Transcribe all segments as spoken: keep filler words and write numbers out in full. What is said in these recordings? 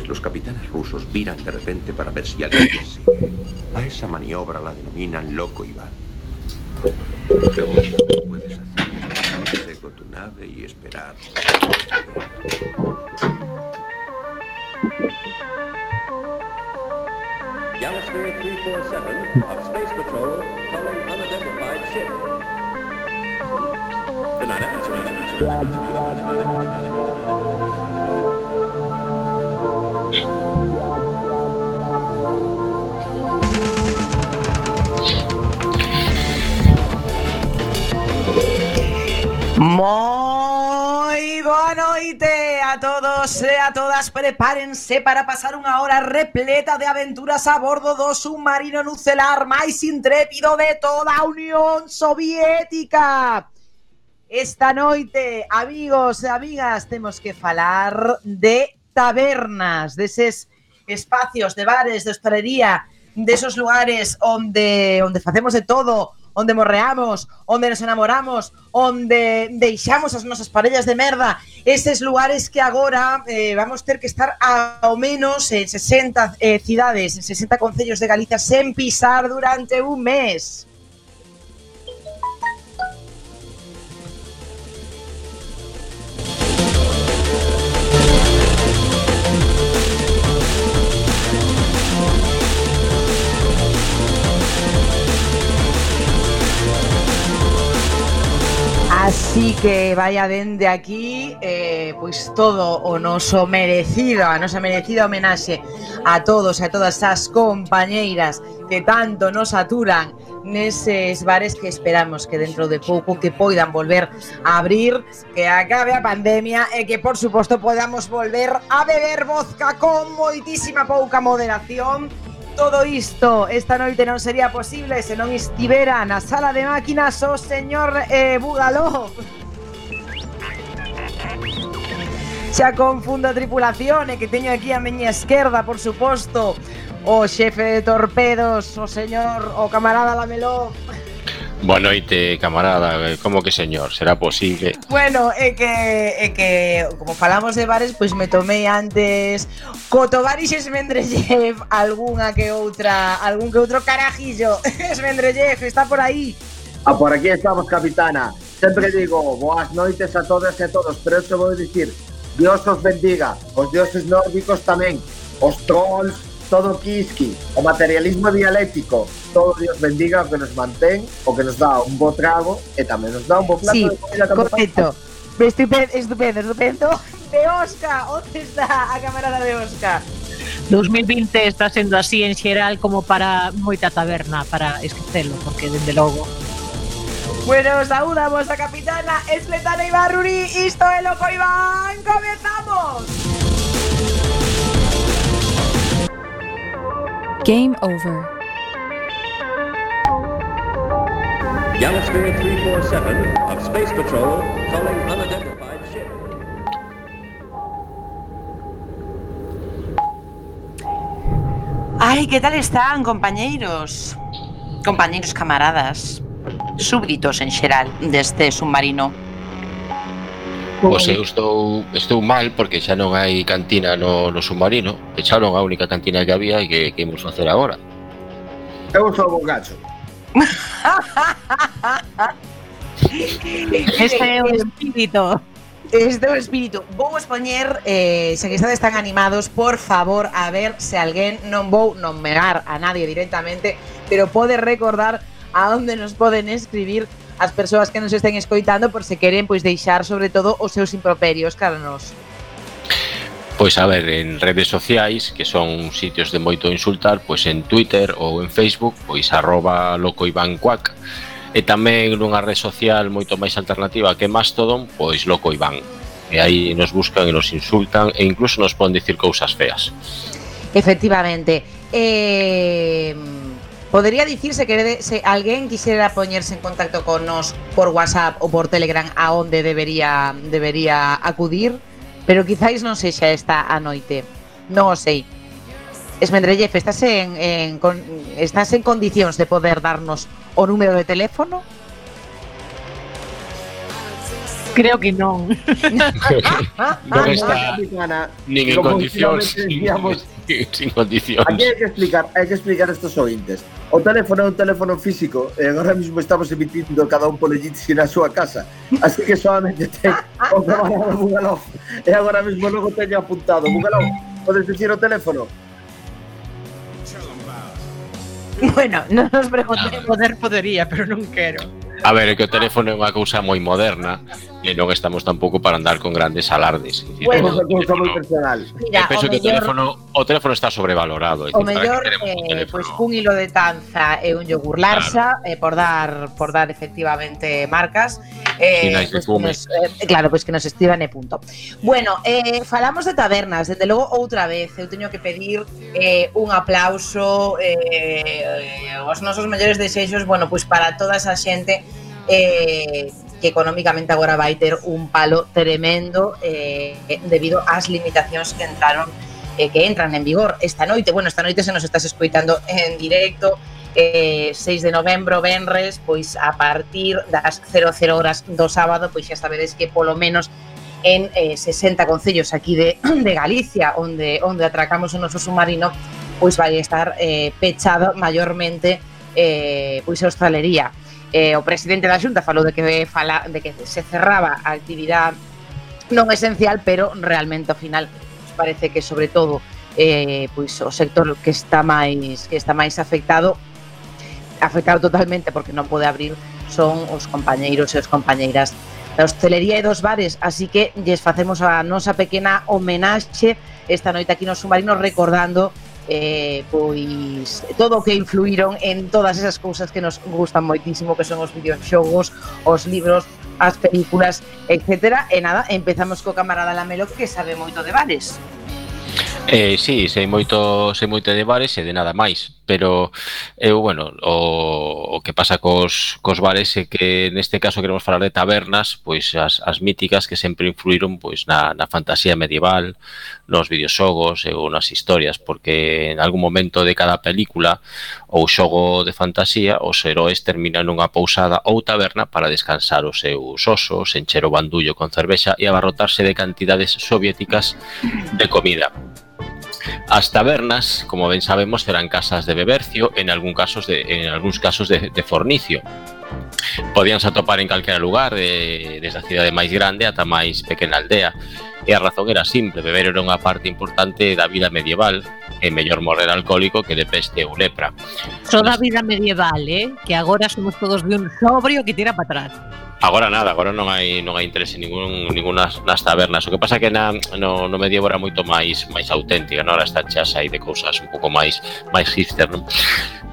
veces los capitanes rusos viran de repente para ver si alguien les sigue. A esa maniobra la denominan loco Iván. Lo único que puedes hacer es irse con tu nave y esperar. Galaxy three forty-seven of Space Patrol calling unidentified ship. Tonight, Moi boa noite a todos e a todas. Prepárense para pasar unha hora repleta de aventuras a bordo do submarino nucelar máis intrépido de toda a Unión Soviética. Esta noite, amigos e amigas, temos que falar de tabernas, deses espacios de bares, de hostelería, desos lugares onde onde facemos de todo, onde morreamos, onde nos enamoramos, onde deixamos as nosas parellas de merda, eses lugares que agora eh, vamos ter que estar ao menos en sesenta eh, cidades, en sesenta concellos de Galicia sen pisar durante un mes. Así que vaya dende aquí eh, pois todo o noso merecido, a nosa merecida homenaxe a todos e a todas as compañeiras que tanto nos aturan neses bares, que esperamos que dentro de pouco que poidan volver a abrir, que acabe a pandemia e que por suposto podamos volver a beber vodka con moitísima pouca moderación. Todo isto esta noite non sería posible se non estivera na sala de máquinas o señor eh, Bugalov. Xa confundo a tripulación e que teño aquí a miña esquerda, por suposto, o xefe de torpedos, o señor, o camarada Lameló. Boa noite, camarada. Como que señor? Será posible? Bueno, é que é que como falamos de bares, pois me tomei antes Cotovaris Esmendrellev algunha que outra, algún que outro carajillo. Esmendrellev, está por aí. Ah, por aquí estamos, capitana. Sempre digo boas noites a todas e a todos, pero eu vou dicir, Dios os bendiga, os dioses nórdicos tamén, os trolls, todo Kiski, o materialismo dialéctico, todo Dios bendiga o que nos mantén, o que nos dá un bo trago e tamén nos dá un bo plato sí, de comida. Correcto, estupendo, estupendo, estupendo. De Oscar, onde está a camarada de Oscar? dos mil vinte está sendo así en xeral como para moita taberna, para esquecelo, porque dende logo. Bueno, saúdamos a capitana Esletana Ibarruri, isto é Loco Iván, comezamos! Game over. Galaxy three forty-seven of Space Patrol calling unidentified ship. Ai, que tal están, compañeiros? Compañeiros, camaradas, súbditos en xeral deste submarino. Pois eu estou, estou mal porque xa non hai cantina no, no submarino. Echaron a única cantina que había e que, que imos facer agora. Eu sou o gacho. Este é o espírito. Este é o espírito. Vou expoñer, eh, se que estades tan animados, por favor, a ver se alguén, non vou nomear a nadie directamente, pero pode recordar a onde nos poden escribir as persoas que nos estén escoitando, por se queren pois deixar sobre todo os seus improperios cara nos. Pois a ver, en redes sociais, que son sitios de moito insultar, pois en Twitter ou en Facebook, pois arroba locoivancuac, e tamén nunha rede social moito máis alternativa que Mastodon, pois Loco Iván. E aí nos buscan e nos insultan e incluso nos poden dicir cousas feas. Efectivamente. Eh... Podería dicirse que se alguén quixera poñerse en contacto con nos por WhatsApp ou por Telegram a onde debería debería acudir, pero quizáis non sexa esta a noite. Non o sei. Esmendrellev, estás en, en con, estás en condicións de poder darnos o número de teléfono? Creo que non. Non está nin en condicións, sin condicións. Aquí hai que explicar, hai que explicar estos ointes. O teléfono é un teléfono físico e agora mesmo estamos emitindo cada un polelliti na súa casa. Así que solamente ten o traballo de Bugalov. E agora mesmo logo teño apuntado. Bugalov, podes dicir o teléfono? Bueno, non nos preguntemos. Poder podería, pero non quero. A ver, é que o teléfono é unha cousa moi moderna e non estamos tampouco para andar con grandes alardes. É dicir, Bueno, o é cousa moi teléfono- personal. Mira, eu penso o que o mellor, teléfono, o teléfono está sobrevalorado. É o dicir, para mellor que queremos un eh, teléfono? pois cun hilo de tanza e un yogur Larsa, eh, por dar por dar efectivamente marcas. Eh, Sinais de pois que fume. nos, eh, claro, pois que nos estivan e punto. Bueno, eh, falamos de tabernas, desde logo outra vez eu teño que pedir eh, un aplauso eh, eh, os nosos mellores desexos, bueno, pois para toda esa xente eh, que económicamente agora vai ter un palo tremendo eh, debido ás limitacións que entraron eh, que entran en vigor esta noite. Bueno, esta noite se nos estás escoitando en directo, eh, seis de novembro, venres, pois a partir das cero cero horas do sábado, pois xa sabedes que polo menos en eh, sesenta concellos aquí de, de Galicia, onde onde atracamos o noso submarino, pois vai estar eh, pechado maiormente eh, pois a hostalería. Eh, o presidente da Xunta falou de que fala de que se cerraba a actividade non esencial, pero realmente ao final parece que sobre todo eh, pois o sector que está máis que está máis afectado afectado totalmente porque non pode abrir son os compañeiros e as compañeiras da hostelería e dos bares, así que lles facemos a nosa pequena homenaxe esta noite aquí no Submarino recordando eh, pois todo o que influíron en todas esas cousas que nos gustan moitísimo, que son os videoxogos, os libros, as películas, etcétera. E nada, empezamos co camarada Lamelo que sabe moito de bares. Eh, sí, sei moito, sei moito de bares e de nada máis, pero eu, bueno, o, o que pasa cos, cos bares é que neste caso queremos falar de tabernas, pois as, as míticas que sempre influíron pois na, na fantasía medieval, nos videoxogos e ou nas historias, porque en algún momento de cada película ou xogo de fantasía os heróis terminan nunha pousada ou taberna para descansar os seus osos, encher o bandullo con cervexa e abarrotarse de cantidades soviéticas de comida. As tabernas, como ben sabemos, eran casas de bebercio, en algún casos de, en algúns casos de, de fornicio. Podíanse atopar en calquera lugar, de, desde a cidade máis grande ata máis pequena aldea. E a razón era simple, beber era unha parte importante da vida medieval, e mellor morrer alcohólico que de peste ou lepra. Toda a vida medieval, eh? Que agora somos todos de un sobrio que tira para atrás. Agora nada, agora non hai non hai interese ningún ningunas nas tabernas. O que pasa que na no, no medievo era moito máis máis auténtica, non? Ahora está chas aí de cousas un pouco máis máis hipster, non?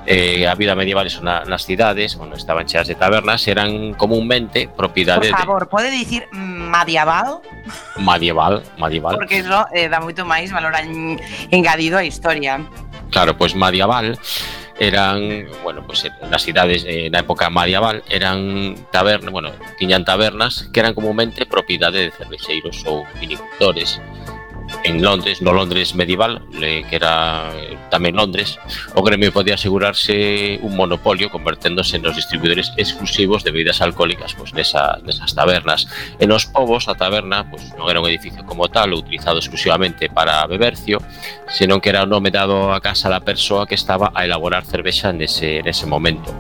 Eh, a vida medieval eso na, nas cidades, bueno, estaban cheas de tabernas, eran comúnmente propiedade Por favor, pode dicir medieval? de medieval, medieval. Porque eso eh, dá moito máis valor en, engadido á historia. Claro, pois pues medieval eran, bueno, pues nas cidades eh, na época medieval eran tabernas, bueno, tiñan tabernas que eran comúnmente propiedade de cervexeiros ou vinicultores. En Londres, no Londres medieval, eh, que era eh, tamén Londres, o gremio podía asegurarse un monopolio converténdose nos distribuidores exclusivos de bebidas alcohólicas pues, nesa, nesas tabernas. En os povos, a taberna pues, non era un edificio como tal, utilizado exclusivamente para bebercio, senón que era o nome dado a casa da persoa que estaba a elaborar cervexa nese, nese momento.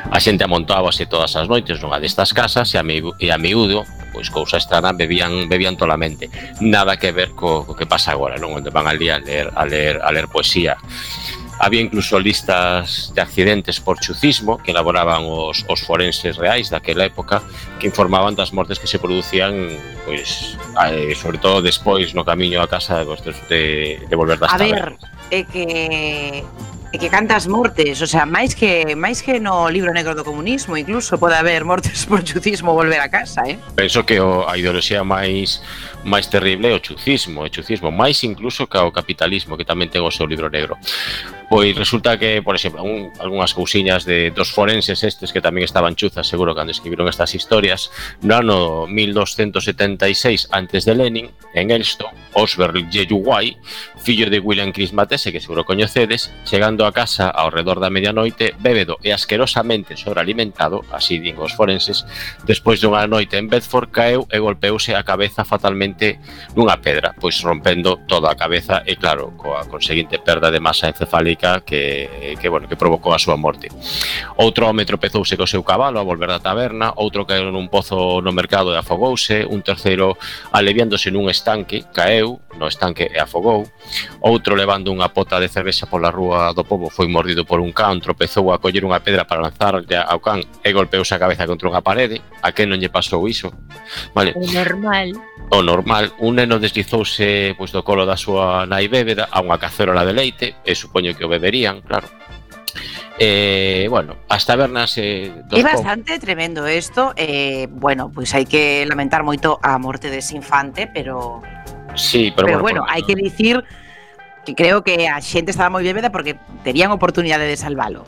A xente amontábase todas as noites nunha destas casas e a, mi, e a miúdo, pois cousa estrana, bebían bebían tolamente. Nada que ver co, co que pasa agora, non? Onde van ali a ler a ler a ler poesía. Había incluso listas de accidentes por chucismo que elaboraban os, os forenses reais daquela época que informaban das mortes que se producían pois, eh, sobre todo despois no camiño a casa de, de volver das A tabernas. ver, é que é que cantas mortes, o sea, máis que máis que no libro negro do comunismo, incluso pode haber mortes por chucismo volver a casa, eh? Penso que o, a ideoloxía máis máis terrible é o chucismo, o chucismo, máis incluso que o capitalismo, que tamén ten o seu libro negro. Pois resulta que, por exemplo, un, algunhas cousiñas de dos forenses estes que tamén estaban chuzas, seguro, cando escribiron estas historias. No ano mil doscientos setenta e seis antes de Lenin, en Elsto, Osbert Yeyuguai, fillo de William Chris Matese, que seguro coñecedes, chegando a casa ao redor da medianoite, bébedo e asquerosamente sobrealimentado, así din os forenses, despois dunha noite en Bedford, caeu e golpeouse a cabeza fatalmente nunha pedra, pois rompendo toda a cabeza e, claro, coa conseguinte perda de masa encefálica que, que, bueno, que provocou a súa morte. Outro home tropezouse co seu cabalo a volver da taberna, outro caeu nun pozo no mercado e afogouse, un terceiro aliviándose nun estanque, caeu no estanque e afogou, outro levando unha pota de cervexa pola rúa do pobo foi mordido por un can, tropezou a coller unha pedra para lanzarlle ao can e golpeouse a cabeza contra unha parede. A que non lle pasou iso? Vale. O normal. O normal, un neno deslizouse pois, do colo da súa nai bébeda a unha cacerola de leite, e supoño que o beberían, claro. Eh, bueno, as tabernas eh, É bastante tremendo isto. eh, Bueno, pois hai que lamentar moito a morte dese infante, pero Sí, pero, Pero bueno, bueno, hai que dicir que creo que a xente estaba moi bébeda porque terían oportunidade de salvalo.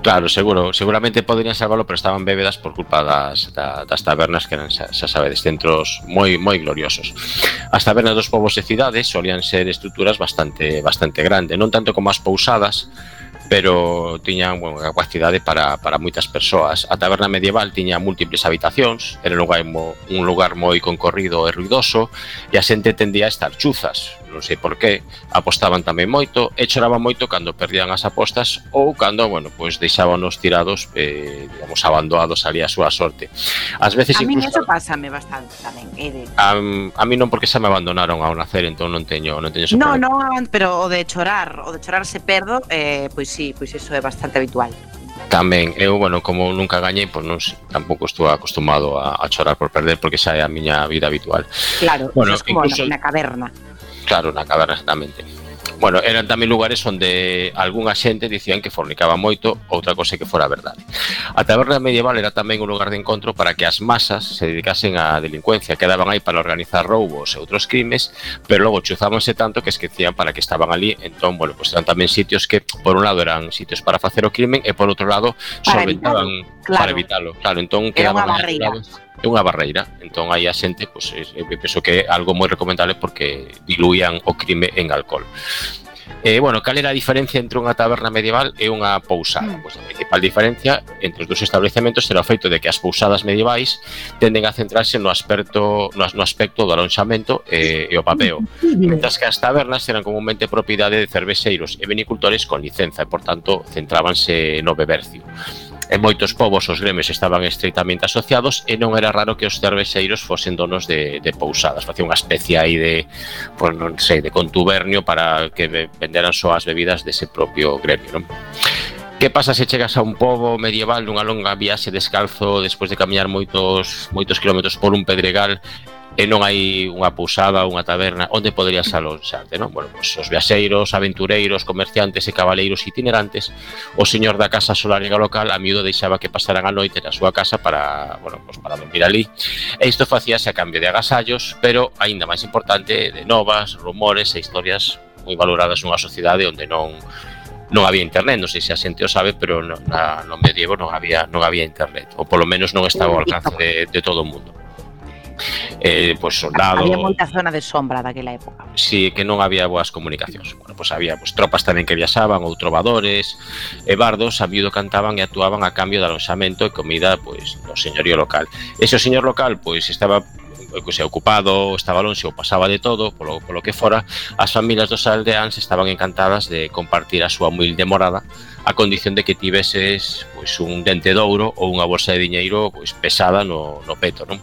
Claro, seguro, seguramente poderían salvalo, pero estaban bébedas por culpa das, da, das tabernas que eran, xa, xa sabedes, centros moi moi gloriosos. As tabernas dos povos e cidades solían ser estruturas bastante bastante grandes, non tanto como as pousadas, pero tiñan, bueno, capacidade para, para moitas persoas. A taberna medieval tiña múltiples habitacións, era un lugar, mo, un lugar moi concorrido e ruidoso, e a xente tendía a estar chuzas, non sei por qué, apostaban tamén moito, e choraban moito cando perdían as apostas ou cando, bueno, pois deixábanos tirados, eh, digamos, abandonados ali a súa sorte. Ás veces A mí incluso... eso pásame bastante tamén, é de... A, a mí non, porque xa me abandonaron ao nacer, entón non teño, non teño ese No, problema. no, pero o de chorar, o de chorar se perdo, eh, pois sí, pois iso é bastante habitual. Tamén, eu, bueno, como nunca gañei, pois non, tampouco estou acostumado a, a chorar por perder, porque xa é a miña vida habitual. Claro, Bueno, eso é como incluso- na, na caverna. Claro, na caverna, exactamente. Bueno, eran tamén lugares onde algunha xente dicían que fornicaba moito, outra cosa que fora verdade. A taberna medieval era tamén un lugar de encontro para que as masas se dedicasen á delincuencia, quedaban aí para organizar roubos e outros crimes, pero logo chuzábanse tanto que esquecían para que estaban ali. Entón, bueno, pues eran tamén sitios que, por un lado, eran sitios para facer o crimen e, por outro lado, Para solventaban claro. para evitalo. Claro, entón Era quedaban unha aí barreira. aislados. É unha barreira, entón aí a xente, pois, eu penso que é algo moi recomendable porque diluían o crime en alcohol. Eh, bueno, cal era a diferencia entre unha taberna medieval e unha pousada? Pois a principal diferencia entre os dous establecementos era o feito de que as pousadas medievais tenden a centrarse no aspecto no, no aspecto do alonxamento e, e o papeo, mentras que as tabernas eran comúnmente propiedade de cervexeiros e vinicultores con licenza e, por tanto, centrábanse no bebercio. En moitos povos os gremios estaban estreitamente asociados e non era raro que os cervexeiros fosen donos de, de pousadas. Facía unha especie aí de, pues, non sei, de contubernio para que venderan só as bebidas dese propio gremio, non? Que pasa se chegas a un pobo medieval dunha longa viaxe descalzo despois de camiñar moitos moitos kilómetros por un pedregal e non hai unha pousada ou unha taberna onde poderías alonxarte, non? Bueno, pois os viaxeiros, aventureiros, comerciantes e cabaleiros itinerantes, o señor da casa solariega local a miúdo deixaba que pasaran a noite na súa casa para, bueno, pois para dormir ali. E isto facíase a cambio de agasallos, pero aínda máis importante, de novas, rumores e historias moi valoradas nunha sociedade onde non non había internet, non sei se a xente o sabe, pero no, na, no medievo non había non había internet, ou polo menos non estaba ao alcance de, de todo o mundo. Eh, pois soldados... Había moita zona de sombra daquela época. Si, que non había boas comunicacións. Bueno, pois había pois, tropas tamén que viaxaban, ou trovadores e bardos, a miúdo cantaban e actuaban a cambio de alonxamento e comida pois no señorío local. Ese o señor local pois estaba que se ocupado, estaba lonxe ou pasaba de todo, polo, polo que fora, as familias dos aldeáns estaban encantadas de compartir a súa humilde morada a condición de que tiveses pois un dente de ouro ou unha bolsa de diñeiro pois pesada no, no peto, non?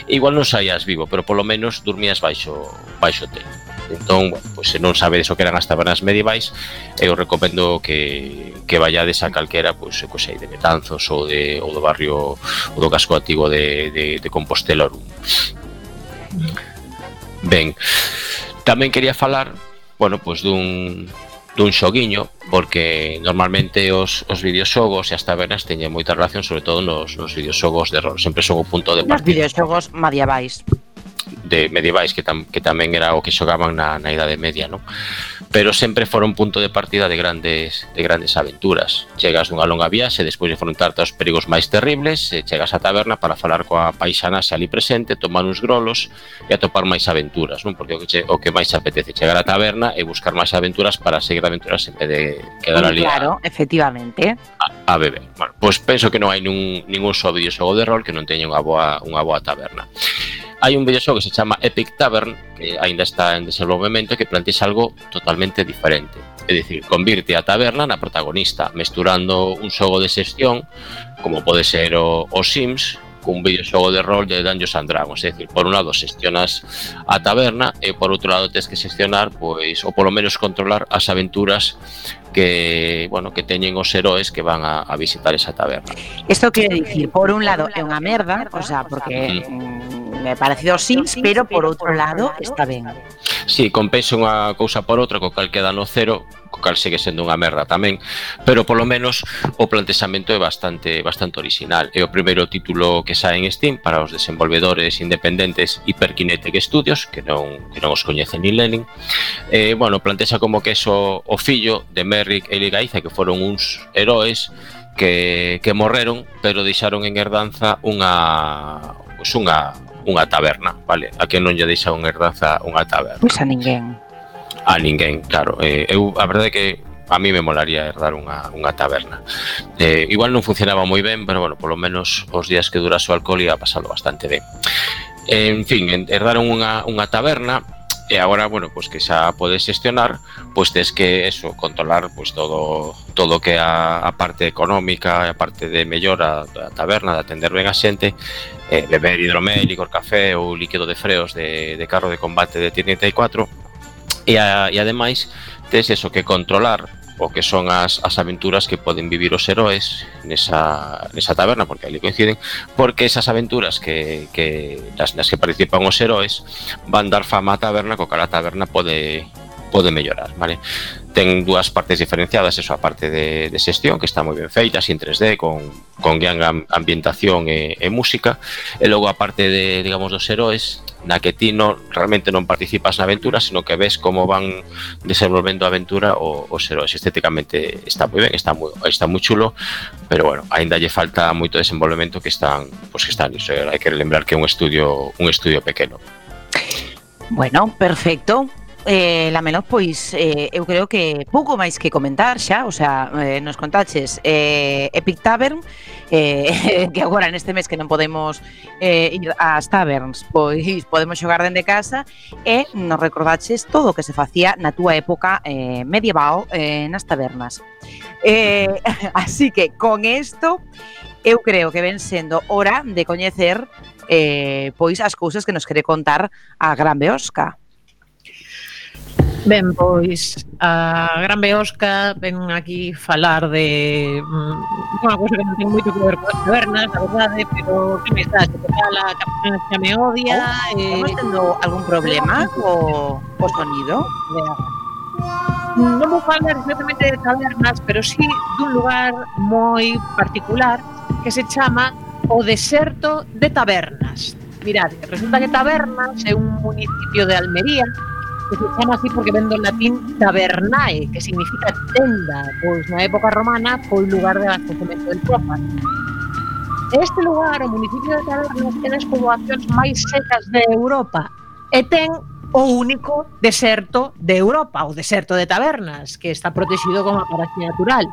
Igual non saías vivo, pero polo menos dormías baixo baixo teito. Entón, bueno, pois se non sabedes o que eran as tabernas medievais, eu recomendo que, que vayades a calquera, pois, que sei, de Betanzos ou, de, ou do barrio ou do casco antigo de, de, de Compostela. Ben, tamén quería falar, bueno, pois dun dun xoguiño, porque normalmente os, os videoxogos e as tabernas teñen moita relación, sobre todo nos, nos videoxogos de rol, sempre son o punto de Nos partida. videoxogos medievais. de medievais que, tam, que tamén era o que xogaban na, na Idade Media, non? Pero sempre foron punto de partida de grandes de grandes aventuras. Chegas dunha longa viaxe despois de enfrontarte aos perigos máis terribles, e chegas á taberna para falar coa paisana xa ali presente, tomar uns grolos e atopar máis aventuras, non? Porque o que, che, o que máis apetece chegar á taberna e buscar máis aventuras para seguir aventuras en vez de quedar ali claro, a, efectivamente a, a beber. Bueno, pois penso que non hai nun, ningún só videoxogo de rol que non teña unha boa, unha boa taberna. Hai un videoxogo que se chama Epic Tavern, que ainda está en desenvolvemento, que plantexa algo totalmente diferente. É dicir, convirte a taberna na protagonista, mesturando un xogo de xestión, como pode ser o, o Sims, cun videoxogo de rol de Dungeons and Dragons. É dicir, por un lado xestionas a taberna e por outro lado tens que xestionar, pois, ou polo menos controlar as aventuras que, bueno, que teñen os heróis que van a, a visitar esa taberna. Isto quere dicir, por un lado é unha merda, o sea, porque mm. me parecido Sims, pero por outro lado está ben. Sí, compensa unha cousa por outra, co cal queda no cero, co cal segue sendo unha merda tamén, pero polo menos o plantexamento é bastante bastante original. É o primeiro título que sae en Steam para os desenvolvedores independentes Hyperkinetic Studios, que non que non os coñecen ni Lenin. Eh, bueno, plantexa como que é o, o fillo de Merrick e Ligaiza, que foron uns heróis que, que morreron, pero deixaron en herdanza unha, pues unha unha taberna, vale? A que non lle deixa unha herdanza unha taberna. Pois a ninguén. A ninguén, claro. Eh, eu, a verdade é que a mí me molaría herdar unha, unha taberna. Eh, igual non funcionaba moi ben, pero, bueno, polo menos os días que dura o alcohol ia pasalo bastante ben. Eh, en fin, herdaron unha, unha taberna e agora, bueno, pues que xa podes xestionar, pois tes que eso, controlar pues todo todo que a, a parte económica, a parte de mellora da taberna, de atender ben a xente, eh, beber hidromel, licor café ou líquido de freos de, de carro de combate de T treinta e catro, e, a, e ademais tes eso que controlar o que son as, as aventuras que poden vivir os heróis nesa, nesa taberna, porque ali coinciden, porque esas aventuras que, que nas, nas que participan os heróis van dar fama á taberna, co cal a taberna pode pode mellorar, vale? Ten dúas partes diferenciadas, eso, a parte de, de xestión, que está moi ben feita, así en tres D, con, con gran ambientación e, e música, e logo a parte de, digamos, dos heróis, na que ti non, realmente non participas na aventura, sino que ves como van desenvolvendo a aventura o, os heróis. Estéticamente está moi ben, está moi, está moi chulo, pero, bueno, ainda lle falta moito desenvolvemento que están, pues que están, iso, hai que lembrar que é un estudio, un estudio pequeno. Bueno, perfecto. Eh, Lamelos, pois eh, eu creo que pouco máis que comentar xa, o sea, eh, nos contaches eh, Epic Tavern, eh, que agora neste mes que non podemos eh, ir ás taverns, pois podemos xogar dende casa, e nos recordaches todo o que se facía na túa época eh, medieval eh, nas tabernas. Eh, así que con isto eu creo que ven sendo hora de coñecer eh, pois as cousas que nos quere contar a Gran Beosca. Ben, pois a Gran Beosca ven aquí falar de mm, unha cousa que non ten moito que ver con as tabernas, a verdade, pero que me está, que tal a capitana xa me odia. Oh, eh, estamos tendo algún problema co, co sonido? Non vou falar exactamente de tabernas, pero sí dun lugar moi particular que se chama o Deserto de Tabernas. Mirad, resulta que Tabernas é un municipio de Almería que se chama así porque ven do latín tabernae, que significa tenda, pois na época romana foi lugar de abastecemento de tropas. Este lugar, o municipio de Tabernas, ten as poboacións máis secas de Europa e ten o único deserto de Europa, o deserto de Tabernas, que está protegido como paraxe natural.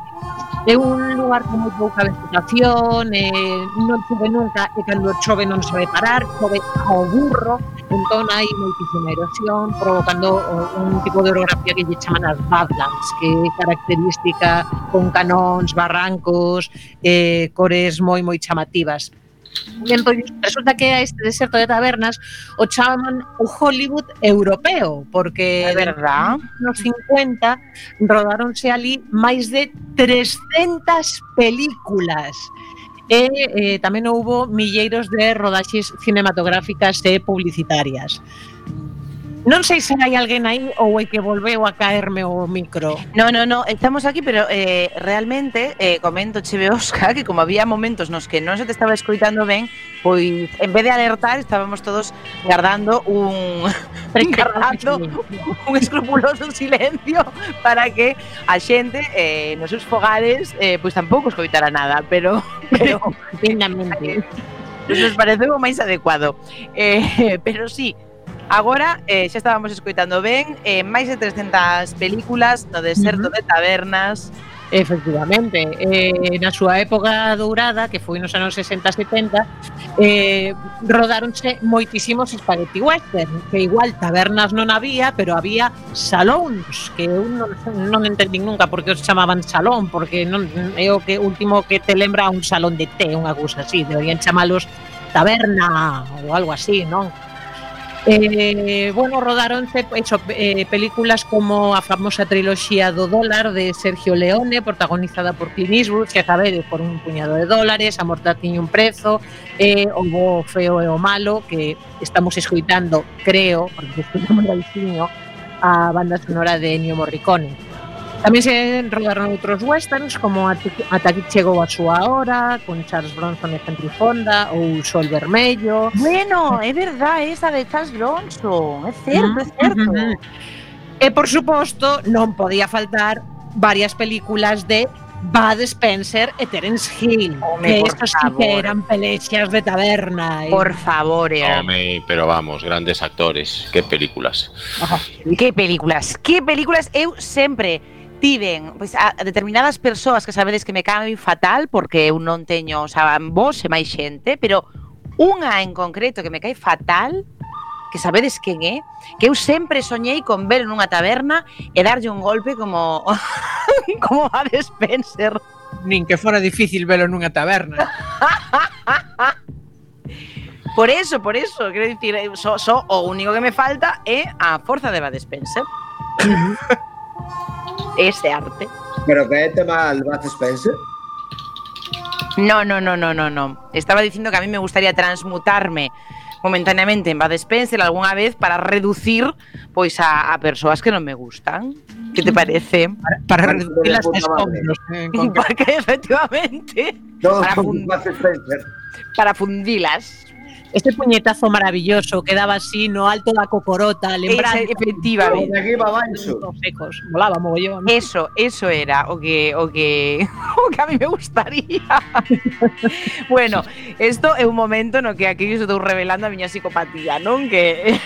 É un lugar con moi pouca vegetación, eh, non chove nunca, e cando chove non se vai parar, chove ao burro, entón hai moitísima erosión, provocando un tipo de orografía que lle chaman as badlands, que é característica con canóns, barrancos, eh, cores moi moi chamativas. E entón, resulta que a este deserto de Tabernas o chaman o Hollywood europeo, porque é verdad, nos cincuenta rodaronse ali máis de trescentas películas e eh, tamén houbo milleiros de rodaxes cinematográficas e publicitarias. Non sei se hai alguén aí ou é que volveu a caerme o micro. No, no, no, estamos aquí, pero eh, realmente eh, comento cheve Óscar que como había momentos nos que non se te estaba escoitando ben, pois en vez de alertar estábamos todos guardando un guardando un escrupuloso silencio para que a xente eh, nos seus fogares eh, pois tampouco escoitara nada, pero pero Dignamente. nos pareceu o máis adecuado. Eh, pero sí, agora eh, xa estábamos escoitando ben eh, máis de trescentas películas no deserto uh-huh. de tabernas. Efectivamente, eh, na súa época dourada, que foi nos anos sesenta setenta, eh, rodaronse moitísimos spaghetti western, que igual tabernas non había, pero había salóns, que eu non, non entendín nunca por que os chamaban salón, porque non é o que último que te lembra un salón de té, unha cousa así, deberían chamalos taberna ou algo así, non? Eh, bueno, rodaronse eso, eh, películas como a famosa triloxía do dólar de Sergio Leone, protagonizada por Clint Eastwood, que sabedes, por un puñado de dólares, A morte tiña un prezo, eh, o bo feo e o malo, que estamos escoitando, creo, porque escoitamos baixinho, a banda sonora de Ennio Morricone. Tamén se rodaron outros westerns como Ata aquí chegou a súa hora, con Charles Bronson e Henry Fonda, ou Sol Vermello. Bueno, é verdad, esa de Charles Bronson, é certo, é certo. Uh-huh. E, por suposto, non podía faltar varias películas de Bud Spencer e Terence Hill. Home, que estos sí que eran pelexas de taberna. Por eh. favor, eh. Home, pero vamos, grandes actores. Que películas. Ajá. Que películas, que películas. Eu sempre tiven pois, a determinadas persoas que sabedes que me caen fatal porque eu non teño, o sea, vos e máis xente, pero unha en concreto que me cae fatal, que sabedes quen é, que eu sempre soñei con ver nunha taberna e darlle un golpe como como a Bud Spencer. Nin que fora difícil velo nunha taberna. Por eso, por eso, quero dicir, so, so, o único que me falta é a forza de Bud Spencer. Ese arte. Pero que é tema al Bud Spencer? No, no, no, no, no, no. Estaba diciendo que a mí me gustaría transmutarme momentáneamente en Bud Spencer algunha vez para reducir pois a, a persoas que non me gustan. Que te parece? Para, para reducir as escombros. Porque efectivamente Todos para, con Bud Spencer. Para fundilas. Este puñetazo maravilloso que daba así no alto da cocorota, lembrando. Ese, efectivamente. De aquí va baixo. Secos, volaba mogollón. Eso, eso era o que o que o que a mí me gustaría. Bueno, isto é un momento no que aquí eu estou revelando a miña psicopatía, non? Que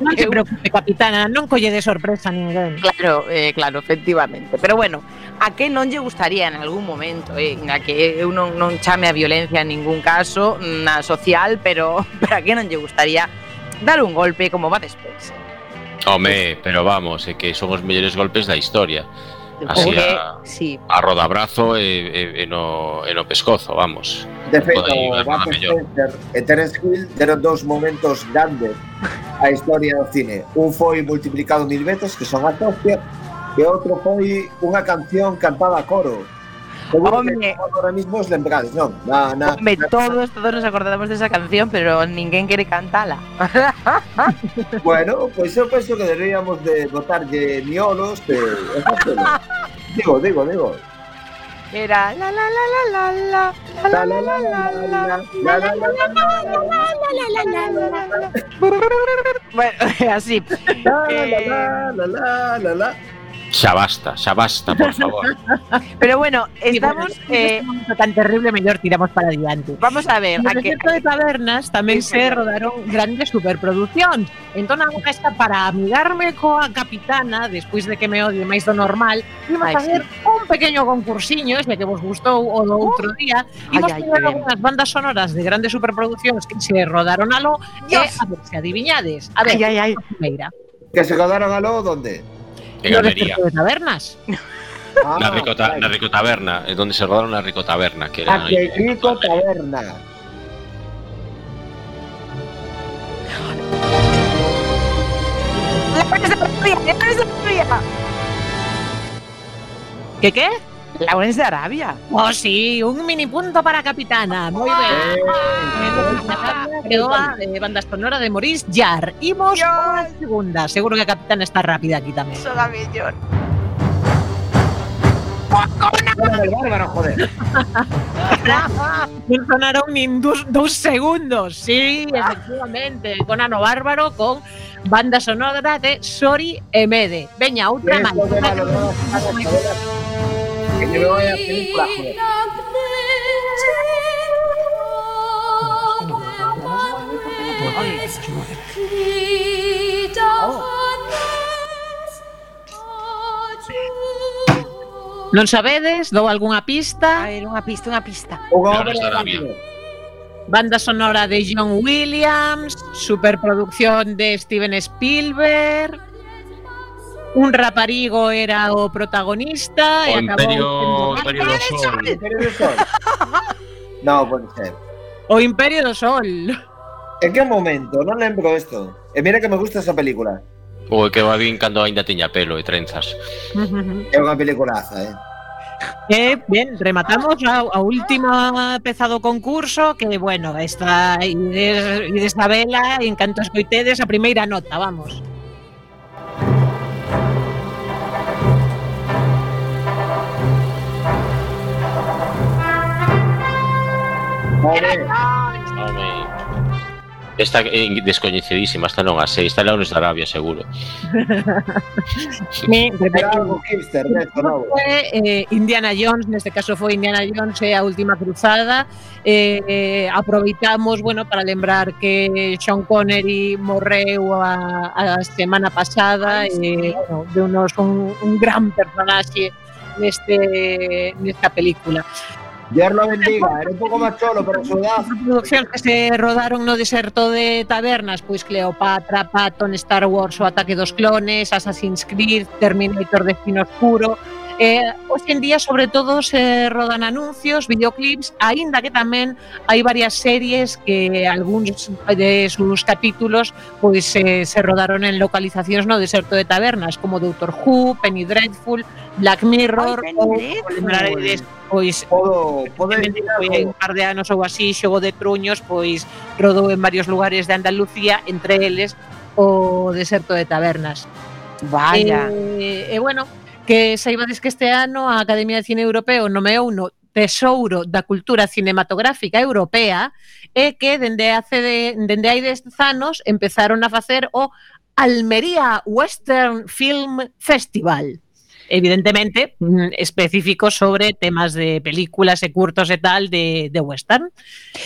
non se preocupe, capitana, non colle de sorpresa a ninguén. Claro, eh, claro, efectivamente. Pero bueno, a que non lle gustaría en algún momento, eh, na que eu non, non chame a violencia en ningún caso, na social, pero pero a que non lle gustaría dar un golpe como Bud Spencer. Home, pero vamos, é que son os mellores golpes da historia. Así a, sí. a rodabrazo e, e, e, no, e no pescozo, vamos. De feito, Bud Spencer e Terence Hill deron dous momentos grandes a historia do cine. Un foi multiplicado mil veces, que son a hostia, e outro foi unha canción cantada a coro. Home, ahora mismo os lembrades, non? Na, na, home, na, todos, todos nos acordamos desa canción, pero ninguén quere cantala. Bueno, pois pues eu penso que deberíamos de botarlle miolos de... Digo, digo, digo. Era la la la la la la la la la la la la la la. Bueno, así. La la la la la la. Xa basta, xa basta, por favor. Pero bueno, estamos sí, bueno, eh, momento tan terrible, mellor tiramos para adiante. Vamos a ver, no a que de tabernas tamén sí, se rodaron grandes superproduccións. Entón, a esta para amigarme coa capitana, despois de que me odie máis do normal, íbamos a facer sí. un pequeño concursiño, xa que vos gustou o do outro día, íbamos a ter algunhas bandas sonoras de grandes superproducións que se rodaron aló, e a ver se adiviñades. A ver, ai, ai, ai. primeira. Que se rodaron aló, onde? En Almería. De tabernas. Ah, na, Rico, ta, na Rico Taberna, é onde se rodaron na Rico Taberna, que era a que Rico Taberna. ¿Qué qué? Lawrence de Arabia. Oh, sí, un mini punto para Capitana. Moi ben. Creo a eh, banda sonora de Maurice Jarre. Imos a segunda. Seguro que a Capitana está rápida aquí tamén. Son a mellor. Conan el Bárbaro, joder. Non sonaron nin dos, dos segundos. Sí, efectivamente. Conan o Bárbaro con banda sonora de Sori e Mede. Veña, outra máis. Que me voy a película, joder. Non sabedes? Dou algunha pista? A ver, unha pista, unha pista. Lawrence de Arabia. Banda sonora de John Williams, superproducción de Steven Spielberg. Un raparigo era o protagonista O e Imperio, acabou Imperio do Sol. ¿Imperio del Sol? No, puede ser. o Imperio do Sol. ¿En qué momento? Non lembro esto. E mira que me gusta esa película. O que va bien cando ainda tiña pelo e trenzas. É unha peliculaza, eh. E, ben, rematamos a, a última peza do concurso, que, bueno, esta ides, ides a vela, en canto escoitedes a primeira nota, vamos. Vale. Home. Esta é descoñecidísima, esta non a sei, esta é Lawrence de Arabia, seguro. Sí, Era algo hipster, neto, novo. Foi, eh, Indiana Jones, neste caso foi Indiana Jones e a última cruzada. Eh, eh, aproveitamos, bueno, para lembrar que Sean Connery morreu a, a semana pasada e, eh, bueno, deunos un, un gran personaxe neste nesta película. Dios lo bendiga, era un pouco máis cholo, pero a su edad. As producións que se rodaron no deserto de tabernas, pois Cleopatra, Patton, Star Wars, o ataque dos clones, Assassin's Creed, Terminator, Destino Oscuro. Eh, hoxe en día, sobre todo, se rodan anuncios, videoclips, aínda que tamén hai varias series que algúns de sus capítulos pois eh, se rodaron en localizacións no deserto de tabernas, como Doctor Who, Penny Dreadful, Black Mirror, Ai, Penny ou Dreadful. lembraredes, pois Podo, podo foi decir un par de anos ou así, Xogo de Truños, pois rodou en varios lugares de Andalucía, entre eles o deserto de tabernas. Vaya. E, e bueno, que saibades que este ano a Academia de Cine Europeo nomeou no Tesouro da Cultura Cinematográfica Europea e que dende hace de, dende hai dez anos empezaron a facer o Almería Western Film Festival. Evidentemente, específico sobre temas de películas e curtos e tal de, de western.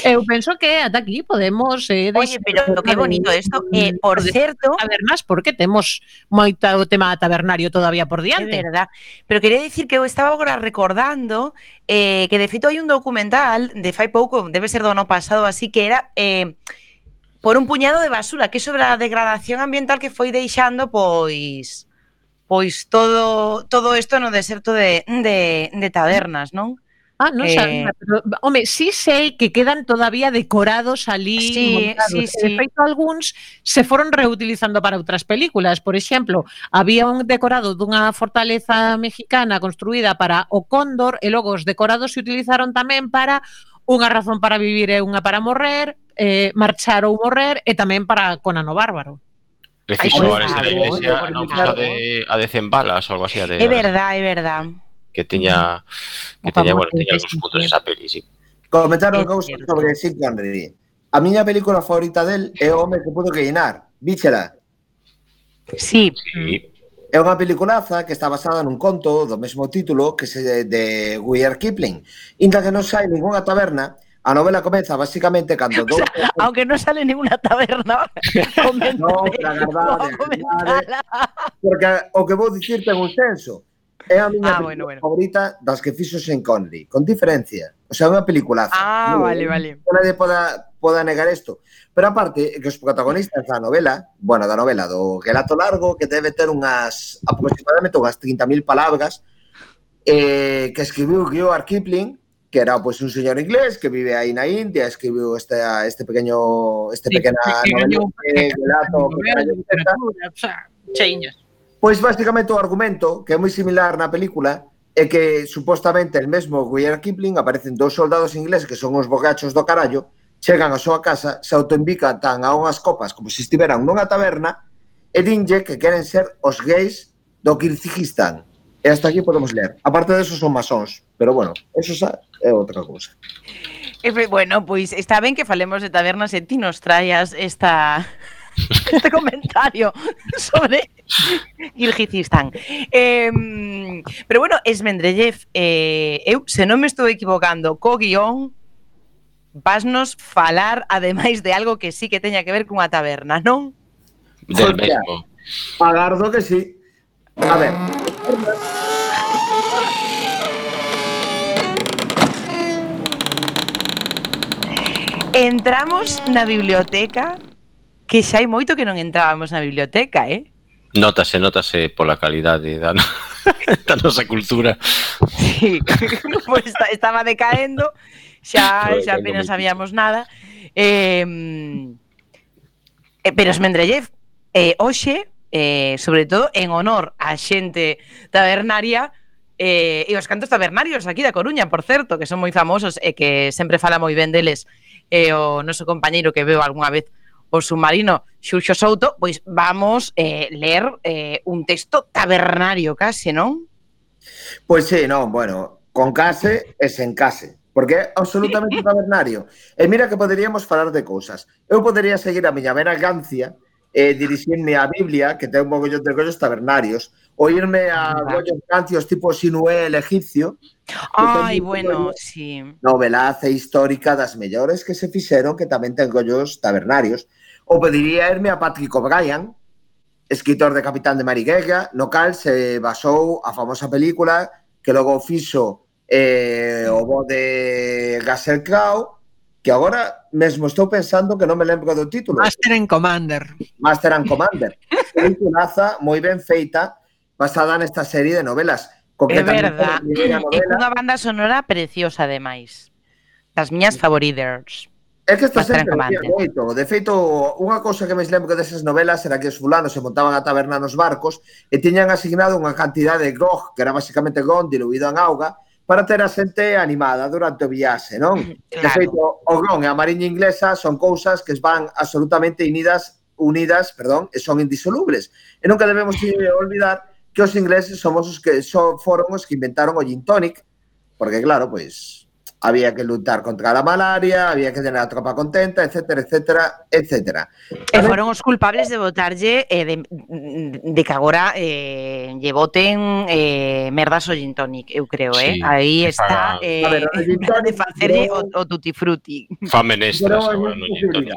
Eu penso que ata aquí podemos... Eh, Oye, pero que bonito esto. Eh, por certo... Tabernas, porque temos moito tema tabernario todavía por diante. É verdad. Pero quería dicir que eu estaba agora recordando eh, que de feito hai un documental de fai pouco, debe ser do ano pasado, así que era... Eh, por un puñado de basura, que é sobre a degradación ambiental que foi deixando, pois... Pois todo todo isto no deserto de, de, de tabernas, non? Ah, non Eh, sabía, pero, home, sí sei que quedan todavía decorados ali Sí, montados. sí, E, sí. de feito, algúns se foron reutilizando para outras películas. Por exemplo, había un decorado dunha fortaleza mexicana construída para o Cóndor e logo os decorados se utilizaron tamén para Unha razón para vivir e unha para morrer, eh, Marchar ou morrer e tamén para Conan o Bárbaro. Preciso Ay, ahora esa claro, iglesia, claro, non claro. fixo de a de cen balas ou algo así, a de É verdad, é verdad. que tiña que O tiña, famoso bueno, tiña de algúns puntos esa peli, sí. Comentaron É cousas cierto. sobre Sean Connery. A miña película favorita del é O home que pudo que llenar. Víchela. Sí. Sí. É unha peliculaza que está basada nun conto do mesmo título que se de Rudyard Kipling. Inda que non sai ninguna taberna, a novela comeza basicamente cando dous... Aunque no sale ninguna taberna. No, pero a verdade, a verdade, porque o que vou dicir ten un senso. É a miña Ah, película bueno, bueno. favorita das que fixo Sean Connery, con diferencia. O sea, é unha peliculaza. Ah, Non- vale, vale. non Nadie poda, poda negar isto. Pero aparte, que os protagonistas da novela, bueno, da novela, do relato largo, que debe ter unhas, aproximadamente unhas trinta mil palabras, eh, que escribiu Rudyard Kipling, que era pues un señor inglés que vive aí na India, escribiu este, este pequeño este Sí, pequena que novela gañou de relato que novela, trae literatura, o sea, cheiñas. Pois basicamente o argumento, que é moi similar na película, é que supostamente el mesmo Rudyard Kipling aparecen dous soldados ingleses que son os bogachos do carallo, chegan á súa casa, se autoinvitan a unhas copas como se estiveran nunha taberna e dinlle que queren ser os gays do Kirguistán. E hasta aquí podemos ler. Aparte de eso son masóns, pero bueno, eso xa é outra cousa. Bueno, pois está ben que falemos de tabernas e ti nos traías esta... este comentario sobre Kirguistán. Eh, pero bueno, Esmendrellev, eh, eu, se non me estou equivocando co guión, vasnos falar ademais de algo que sí que teña que ver cunha taberna, non? Del mesmo. Agardo que sí. A ver. Entramos na biblioteca, que xa hai moito que non entrábamos na biblioteca, eh? Nótase, nótase pola calidade da, no... da nosa cultura. Sí, pues está, estaba decaendo, xa, xa apenas sabíamos nada. Eh, eh, pero Esmendrellev, eh, hoxe, eh, sobre todo en honor á xente tabernaria, eh, e os cantos tabernarios aquí da Coruña, por certo, que son moi famosos e que sempre fala moi ben deles eh, o noso compañeiro que veo algunha vez o submarino Xuxo Souto, pois vamos eh, ler eh, un texto tabernario case, non? Pois sí, non, bueno, con case e sen case, porque é absolutamente tabernario. E mira que poderíamos falar de cousas. Eu podería seguir a miña veragancia e dirixirme á Biblia, que ten un mogollón de collos tabernarios, ou irme a gollos cancios tipo Sinué el egipcio. Ai, bueno, sí. Novelaza histórica das mellores que se fixeron, que tamén ten gollos tabernarios. Ou podería irme a Patrick O'Brien, escritor de Capitán de Mariguega, no cal se basou a famosa película que logo fixo eh, o bo de Russell Crowe, que agora mesmo estou pensando que non me lembro do título. Master and Commander. Master and Commander. Película moi ben feita, basada nesta serie de novelas. É verdad, e cunha banda sonora preciosa, ademais. Das miñas favoritas. É que esta sempre decía moito. De feito, unha cousa que me lembro desas novelas era que os fulanos se montaban a taberna nos barcos e tiñan asignado unha cantidade de grog, que era basicamente gon diluído en auga, para ter a xente animada durante o viaxe, non? Claro. De feito, o grog e a mariña inglesa son cousas que van absolutamente unidas, unidas, perdón, e son indisolubles. E nunca debemos olvidar que os ingleses somos os que so, foron os que inventaron o gin tonic, porque claro, pois había que lutar contra a malaria, había que tener a tropa contenta, etcétera, etcétera, etcétera. E foron os culpables de botarlle eh, de, de que agora eh, lle boten eh, merdas o gin tonic, eu creo, eh? Sí. Aí está eh, a ver, o gin tonic de facerlle o, o tutti frutti. Fa menestras agora no gin tonic.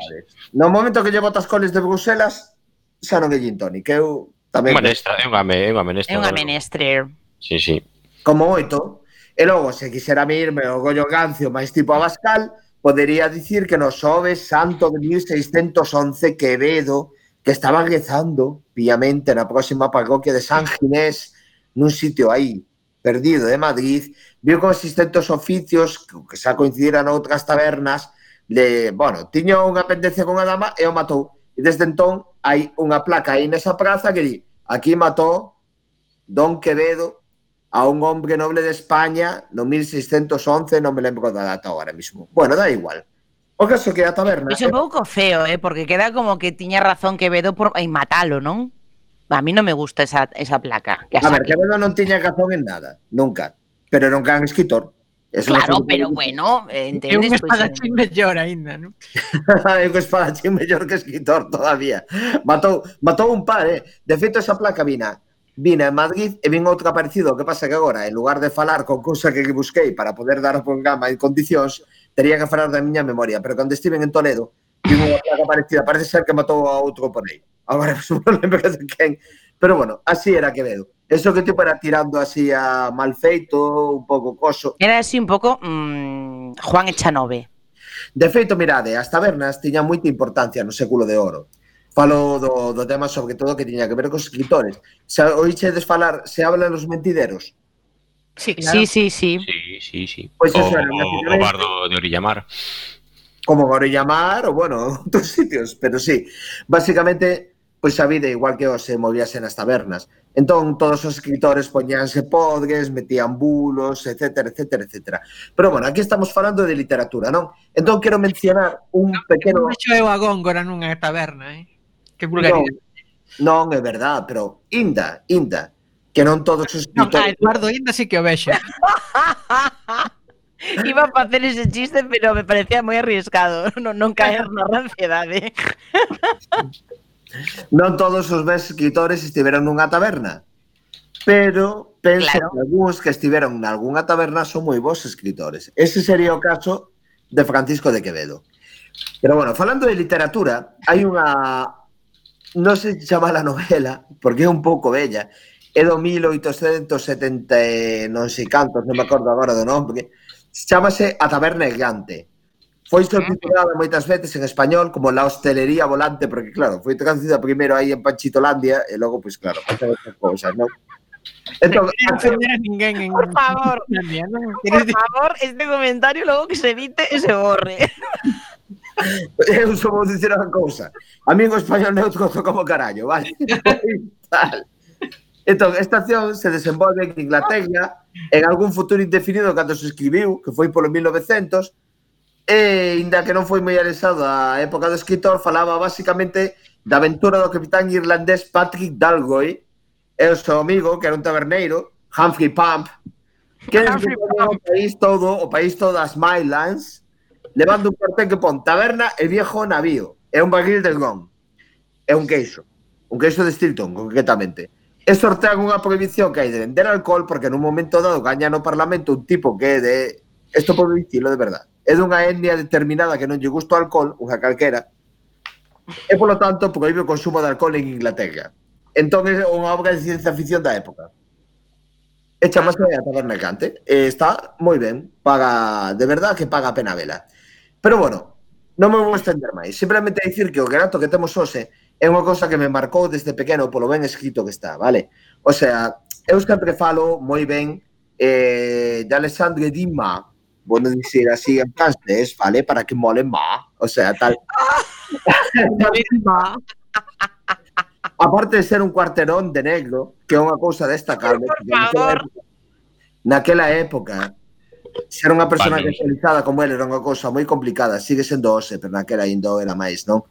No momento que lle botas coles de Bruselas, xa non é gin tonic, eu tamén... Unha menestra, é unha, é unha menestra. É unha menestra. Sí, sí. Como oito. E logo, se quixera mirme o Goyo Gancio máis tipo Abascal, podería dicir que no Xoves Santo de mil seiscentos once Quevedo, que estaba rezando piamente na próxima parroquia de San Ginés, nun sitio aí, perdido de Madrid, viu consistentes oficios que xa coincidiran outras tabernas, de, bueno, tiño unha pendencia con a dama e o matou. E desde entón hai unha placa aí nesa praza que di, aquí matou Don Quevedo a un hombre noble de España no mil seiscentos once, non me lembro da data agora mismo. Bueno, da igual. O caso que a taberna... É un pouco feo, eh, porque queda como que tiña razón Quevedo por en matalo, non? A mí non me gusta esa, esa placa. A ver, Quevedo non tiña razón en nada, nunca. Pero era un gran escritor. Eso claro, pero bueno, entendes? É un espadachín pues, mellor ainda, non? É un espadachín mellor que escritor todavía. Matou, matou un par, eh? De feito, esa placa vina vina en Madrid e vin outro parecido. O que pasa que agora, en lugar de falar con cousa que busquei para poder dar o programa en condicións, teria que falar da miña memoria. Pero cando estiven en Toledo, vi unha placa parecida. Parece ser que matou a outro por aí. Agora non lembro de quen. Pero bueno, así era Quevedo. Eso que tipo era tirando así a mal feito, un pouco coso. Era así un pouco mmm, Juan Echanove. De feito, mirade, as tabernas tiñan moita importancia no século de oro. Falo do, do tema sobre todo que tiña que ver cos escritores. Se oíchedes falar, se hablan los mentideros. Sí, claro. sí, sí, sí. Sí, sí, sí. Pues o, eso era, o, o bardo de Orillamar. Como Orillamar, o bueno, otros sitios, pero sí. Básicamente, pois a vida igual que os se movíase nas tabernas. Entón, todos os escritores poñíanse podres, metían bulos, etcétera, etcétera, etcétera. Pero, bueno, aquí estamos falando de literatura, non? Entón, quero mencionar un pequeno... Non vexo eu a Góngora nunha taberna, eh? Que vulgaridade. Non, non, é verdad, pero Inda, Inda, que non todos os Non, a escritores... Eduardo Inda sí que o vexo. Iba a facer ese chiste, pero me parecía moi arriesgado non, non caer na ranciedade. Non todos os bens escritores estiveron nunha taberna, pero penso Claro. que algúns que estiveron nalgúnha taberna son moi bons escritores. Ese sería o caso de Francisco de Quevedo. Pero, bueno, falando de literatura, hai unha... Non sei se chama a novela, porque é un pouco bella, é do mil oitocentos setenta e non sei cantos, non me acordo agora do nome, chámase A Taberna Errante. Foi subtitulada moitas veces en español como La Hostelería Volante, porque, claro, foi traducida primeiro aí en Panchitolandia e logo, pois, claro, pasan outras cousas, non? Entón, Non ofender a ninguén en... Por favor. Islandia, non? Por favor, este comentario logo que se evite e se borre. eu só vou dicir unha cousa. A mí o español neutro como carallo, vale? Tal. Entón, esta acción se desenvolve en Inglaterra en algún futuro indefinido cando se escribiu, que foi polo mil novecentos, e, inda que non foi moi alexado a época do escritor, falaba basicamente da aventura do capitán irlandés Patrick Dalgoy e o seu amigo, que era un taberneiro, Humphrey Pump, que descubriu o país todo, o país todo as Mylands, levando un cartel que pon taberna e viejo navío, e un barril de ron, e un queixo, un queixo de Stilton, concretamente. E sortean unha prohibición que hai de vender alcohol porque nun momento dado gaña no Parlamento un tipo que é de... Isto pode dicilo de verdade. É dunha etnia determinada que non lle gusta o alcohol, unha calquera, e, polo tanto, proíbe o consumo de alcohol en Inglaterra. Entón, é unha obra de ciencia ficción da época. E chamase A Taberna Errante. E está moi ben. Paga, de verdade que paga a pena vela. Pero, bueno, non me vou estender máis. Simplemente dicir que o relato que temos hoxe é unha cosa que me marcou desde pequeno polo ben escrito que está, vale? O sea, eu sempre falo moi ben eh, de Alexandre Dumas, bueno, dicir así en francés, vale? Para que mole má, o sea, tal. Aparte de ser un cuarterón de negro, que é unha cousa destacable, Por favor. naquela época, ser unha persona Vale. especializada como ele era unha cousa moi complicada, sigue sendo hoxe, pero naquela ainda era máis, non?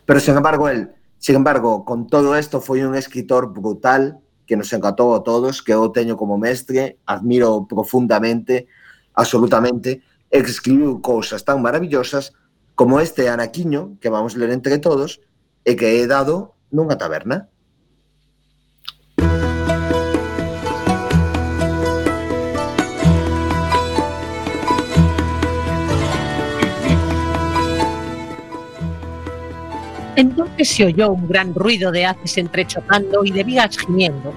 Pero, sen embargo, el, sin embargo, con todo isto foi un escritor brutal que nos encantou a todos, que eu teño como mestre, admiro profundamente, absolutamente, e que escribiu cousas tan maravillosas como este anaquiño que vamos ler entre todos e que é dado nunha taberna. Entonces se oyó un gran ruido de haces entrechocando y de vigas gimiendo.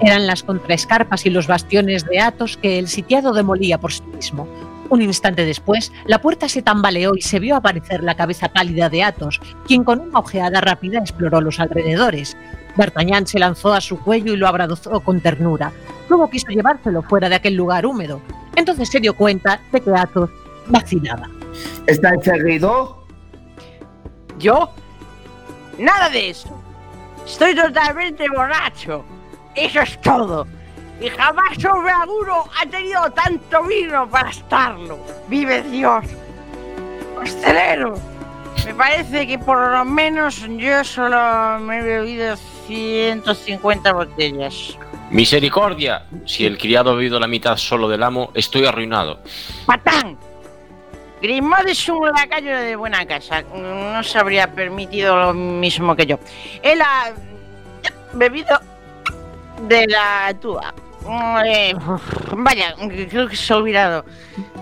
Eran las contraescarpas y los bastiones de Athos que el sitiado demolía por sí mismo. Un instante después, la puerta se tambaleó y se vio aparecer la cabeza pálida de Athos, quien con una ojeada rápida exploró los alrededores. D'Artagnan se lanzó a su cuello y lo abrazó con ternura. Luego quiso llevárselo fuera de aquel lugar húmedo. Entonces se dio cuenta de que Athos vacilaba. ¿Está encerrado? ¿Yo? Nada de eso. Estoy totalmente borracho. Eso es todo. Y jamás hombre alguno ha tenido tanto vino para estarlo. ¡Vive Dios! ¡Hostelero! Me parece que por lo menos yo solo me he bebido ciento cincuenta botellas. Misericordia, si el criado ha bebido la mitad solo del amo, estoy arruinado. ¡Patán! Grimaud es un lacayo de buena casa. No se habría permitido lo mismo que yo. Él ha bebido de la tuba. Eh, vaya, creo que se ha olvidado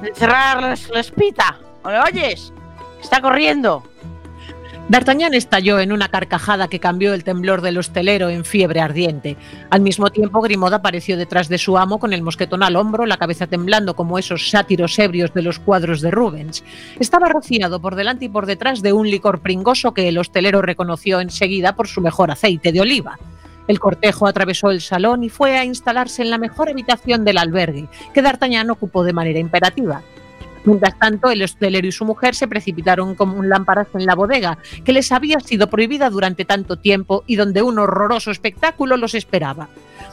de cerrar la, la espita. ¿Me oyes? Está corriendo. D'Artagnan estalló en una carcajada que cambió el temblor del hostelero en fiebre ardiente. Al mismo tiempo, Grimaud apareció detrás de su amo con el mosquetón al hombro, la cabeza temblando como esos sátiros ebrios de los cuadros de Rubens. Estaba rociado por delante y por detrás de un licor pringoso que el hostelero reconoció enseguida por su mejor aceite de oliva. El cortejo atravesó el salón y fue a instalarse en la mejor habitación del albergue, que D'Artagnan ocupó de manera imperativa. Mientras tanto, el hostelero y su mujer se precipitaron como lámparas en la bodega, que les había sido prohibida durante tanto tiempo y donde un horroroso espectáculo los esperaba.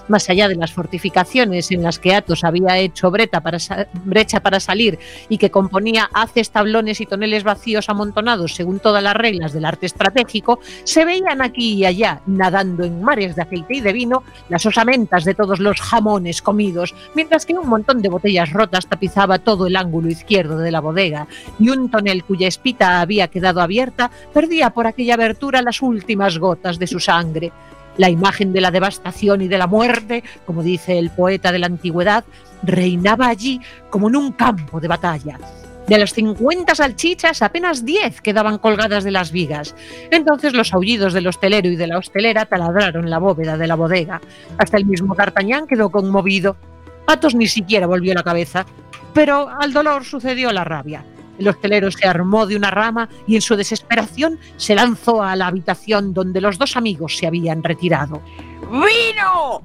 Más allá de las fortificaciones en las que Athos había hecho brecha para, brecha para salir y que componía haces, tablones y toneles vacíos amontonados según todas las reglas del arte estratégico, se veían aquí y allá, nadando en mares de aceite y de vino, las osamentas de todos los jamones comidos, mientras que un montón de botellas rotas tapizaba todo el ángulo izquierdo de la bodega, y un tonel cuya espita había quedado abierta perdía por aquella abertura las últimas gotas de su sangre. La imagen de la devastación y de la muerte, como dice el poeta de la antigüedad, reinaba allí como en un campo de batalla. De las cincuenta salchichas, apenas diez quedaban colgadas de las vigas. Entonces los aullidos del hostelero y de la hostelera taladraron la bóveda de la bodega. Hasta el mismo D'Artagnan quedó conmovido. Athos ni siquiera volvió la cabeza, pero al dolor sucedió la rabia. El hostelero se armó de una rama y en su desesperación se lanzó a la habitación donde los dos amigos se habían retirado. ¡Vino!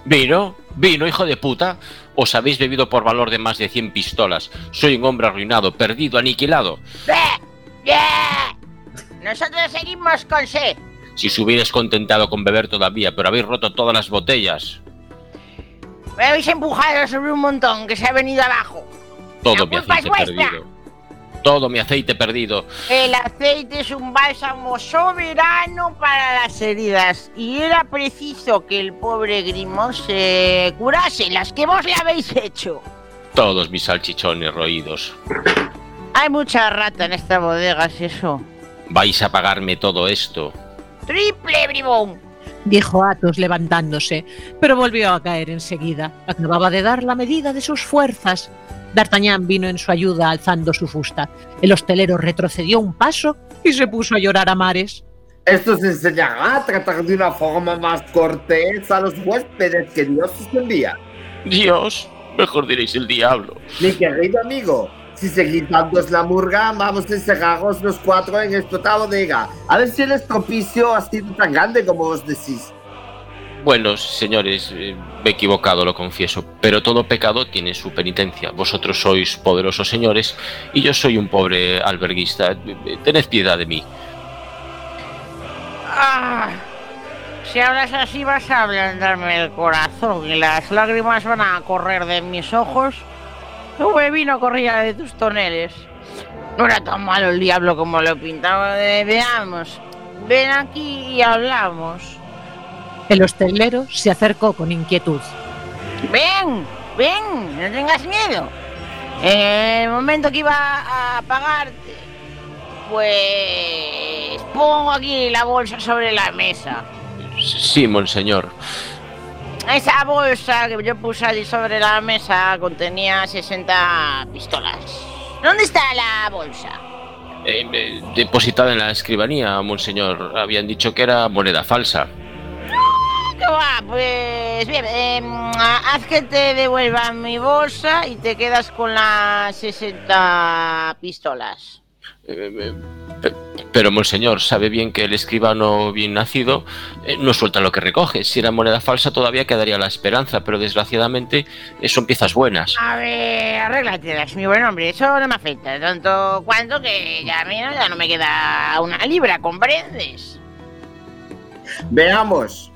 ¿Vino? ¿Vino, hijo de puta? Os habéis bebido por valor de más de cien pistolas. Soy un hombre arruinado, perdido, aniquilado. ¡Bé! ¡Bé! Nosotros seguimos con sed. Si os hubierais contentado con beber todavía, pero habéis roto todas las botellas. Me habéis empujado sobre un montón que se ha venido abajo. Todo mi aceite perdido. Todo mi aceite perdido. El aceite es un bálsamo soberano para las heridas y era preciso que el pobre Grimaud se curase las que vos le habéis hecho. Todos mis salchichones roídos. Hay mucha rata en esta bodega, ¿es eso? ¿Vais a pagarme todo esto? ¡Triple, bribón! Dijo Athos levantándose, pero volvió a caer enseguida. Acababa de dar la medida de sus fuerzas. D'Artagnan vino en su ayuda alzando su fusta. El hostelero retrocedió un paso y se puso a llorar a mares. Esto se enseñará a tratar de una forma más cortés a los huéspedes que Dios os envía. Dios, mejor diréis el diablo. Mi querido amigo, si seguís dándos la murga, vamos a encerraros los cuatro en esta bodega. A ver si el estropicio ha sido tan grande como os decís. Bueno, señores, eh, me he equivocado, lo confieso, pero todo pecado tiene su penitencia. Vosotros sois poderosos señores y yo soy un pobre alberguista. Tened piedad de mí. Ah, si hablas así vas a ablandarme el corazón y las lágrimas van a correr de mis ojos. Tuve vino corría de tus toneles. No era tan malo el diablo como lo pintaba. Eh, veamos, ven aquí y hablamos. El hostelero se acercó con inquietud. Ven, ven, no tengas miedo. En el momento que iba a pagarte, pues pongo aquí la bolsa sobre la mesa. Sí, monseñor. Esa bolsa que yo puse allí sobre la mesa contenía sesenta pistolas. ¿Dónde está la bolsa? Eh, eh, depositada en la escribanía, monseñor. Habían dicho que era moneda falsa. ¿Qué va? Pues bien, eh, haz que te devuelvan mi bolsa y te quedas con las sesenta pistolas. Eh, eh, pero, monseñor, sabe bien que el escribano bien nacido eh, no suelta lo que recoge. Si era moneda falsa todavía quedaría la esperanza, pero desgraciadamente eh, son piezas buenas. A ver, arréglatelas, mi buen hombre, eso no me afecta tanto cuanto que ya, mira, ya no me queda una libra, ¿comprendes? Veamos.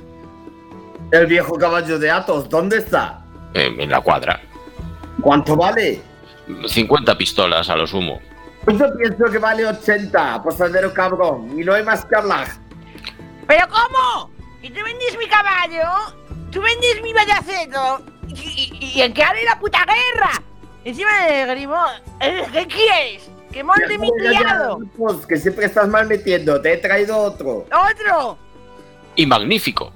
El viejo caballo de Athos, ¿dónde está? Eh, en la cuadra. ¿Cuánto vale? cincuenta pistolas a lo sumo. Pues yo pienso que vale ochenta, posadero cabrón, y no hay más que hablar. ¿Pero cómo? ¿Y tú vendís mi caballo? ¿Tú vendís mi bayaceto? ¿Y, y, y en qué haré la puta guerra? Encima de Grimaud, ¿qué quieres? ¿Que monte mi criado? Pues que siempre estás mal metiendo, te he traído otro. ¿Otro? Y magnífico.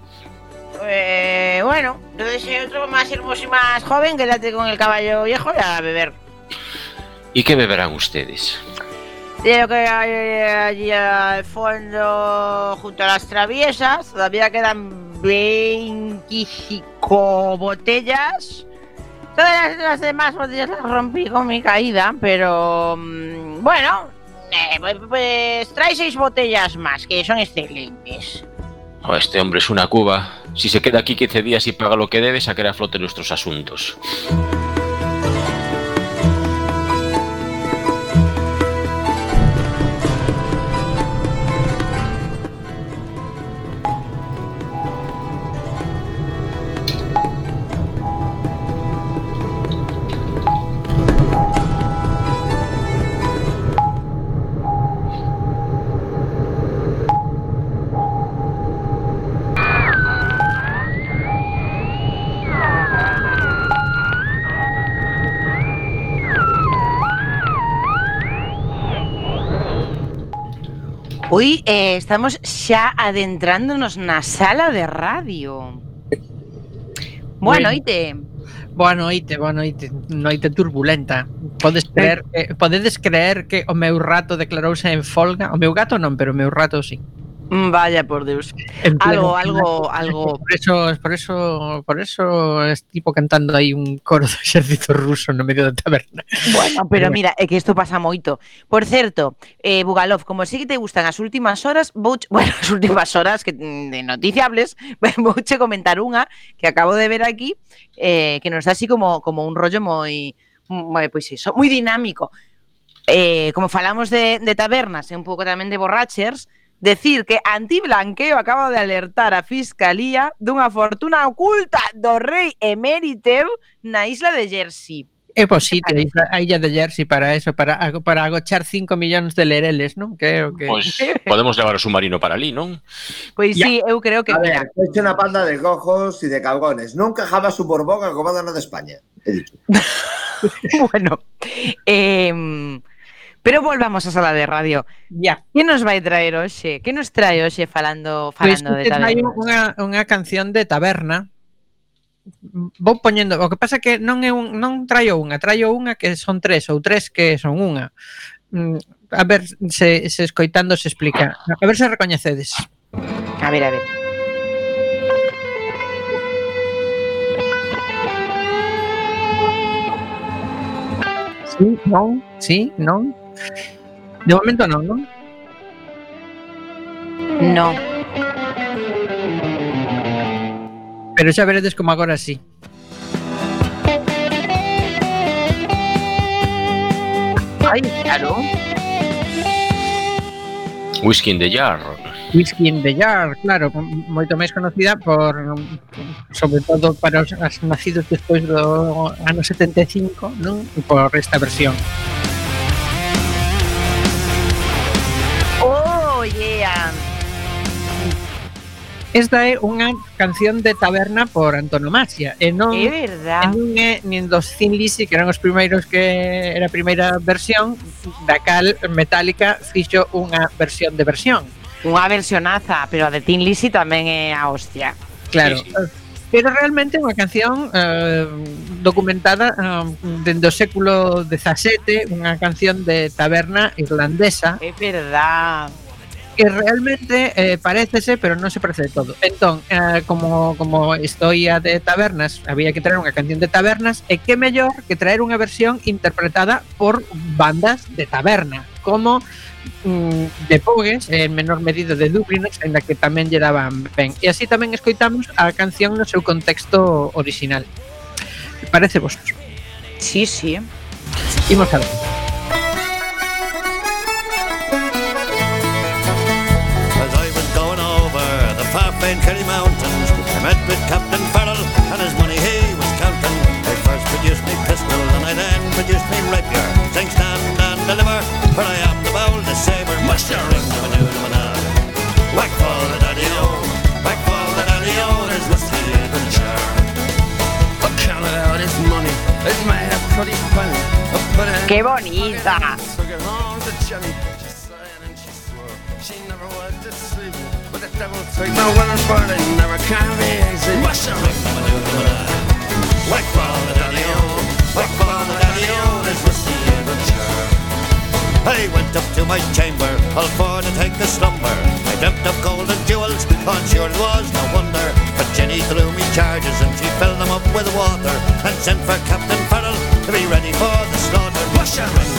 Eh, bueno, entonces hay otro más hermoso y más joven, quédate con el caballo viejo y a beber. ¿Y qué beberán ustedes? De lo que hay allí al fondo, junto a las traviesas, todavía quedan veinticinco botellas. Todas las demás botellas las rompí con mi caída, pero mmm, bueno, eh, pues, pues trae seis botellas más, que son excelentes. Oh, este hombre es una cuba. Si se queda aquí quince días y paga lo que debe, sacará a flote nuestros asuntos. Hoy eh, estamos xa adentrándonos na sala de radio. Boa Bueno. noite. Boa noite, boa noite, noite turbulenta. Podes creer, eh, podedes creer que o meu rato declarouse en folga? O meu gato non, pero o meu rato sí. Mm, Vaya por Deus. En Algo, pleno- algo, algo. Por eso, por eso, por eso es tipo cantando aí un coro do exército ruso no medio da taberna. Bueno, pero mira, é que isto pasa moito. Por certo, eh, Bugalov, como sí que te gustan as últimas horas, vou, bueno, as últimas horas que de noticiables, vouche comentar unha que acabo de ver aquí, eh, que nos dá así como, como un rollo moi, moi pois iso, moi dinámico. Eh, como falamos de, de tabernas e un pouco tamén de borrachers, decir que Antiblanqueo acaba de alertar a Fiscalía dunha fortuna oculta do rei emérito na isla de Jersey. É posito a illa de Jersey para eso, para, para agochar cinco millóns de lereles, non? Creo que... Pois podemos levar o submarino para ali, non? Pois Ya. sí, eu creo que A mira, ver, es una panda de cojos y de cabrones. Nunca jamás su Borbón al comando de España. He dicho. bueno, eh, pero volvamos á sala de radio. Ya. Que nos vai traer hoxe? Que nos trae hoxe falando Pois falando de pues, hai tabernas? unha, unha canción de taberna. Vou poñendo, o que pasa que non é un, non traio unha, traio unha que son tres ou tres que son unha. Mm, A ver se, se escoitando se explica. A ver se recoñecedes. A ver, a ver. Sí, non, sí, non. De momento non, non? No. Pero xa veredes como agora sí. Ai, claro. Whisky in the Jar. Whiskey in the Jar, claro, m- moito máis conocida por, sobre todo para os as nacidos despois do ano setenta e cinco, non? Por esta versión. Oh, yeah. Esta é unha canción de taberna por antonomasia, e non É e verdad. non é nin dos Thin Lizzy, que eran os primeiros que era a primeira versión, da cal Metallica fixo unha versión de versión. Unha versionaza, pero a de Tin Lizzy tamén é a hostia. Claro. Sí, Pero realmente é unha canción eh, documentada eh, dende o século dezasete, unha canción de taberna irlandesa É verdad. que realmente eh, parécese, pero non se parece de todo. Entón, eh, como, como historia de tabernas, había que traer unha canción de tabernas, e que mellor que traer unha versión interpretada por bandas de taberna, como mm, de Pogues, en menor medida de Dubliners, en la que tamén lle daban ben. E así tamén escoitamos a canción no seu contexto original. Parece vos? Sí, sí. Imos a ver. As I was going over the far-famed Kerry Mountains, I met with Captain Farrell and his money he was counting. I first produced me pistol and I then produced me rapier, saying stand and deliver, for I am the boldest saber. Muster ring the manoo whack for the daddy-o, whack for the daddy-o, there's whiskey in the jar. I counted out his money, it made a pretty penny. I put it in Qué bonita. took it home to Jenny. She sighed and she swore she never would deceive me. But the devil took my winners for they never can be easy. What's the ring, whack for the daddy-o, whack for the daddy-o, there's whiskey in the jar. I went up to my chamber, all for to take a slumber. I dreamt of gold and jewels, on sure it was no wonder. But Jenny threw me charges and she filled them up with water, and sent for Captain Farrell to be ready for the slaughter. Wash your ring,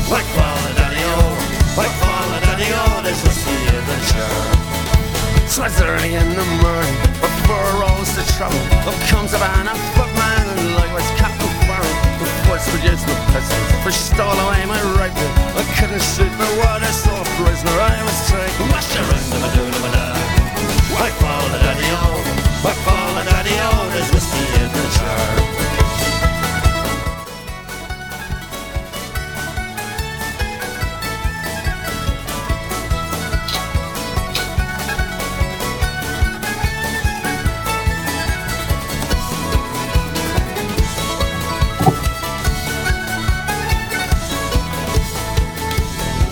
whack for the daddy-o, whack for the daddy-o, there's whiskey in the jar. Twas early in the morning, before rolls the trouble, up comes a band of footmen, and likewise Captain Farrell, who first produced my pistol, for she stole away my rifle. I couldn't shoot my water, so a prisoner I was taken. Wash your ring, whack for the daddy-o, whack for the daddy-o, there's whiskey in the jar.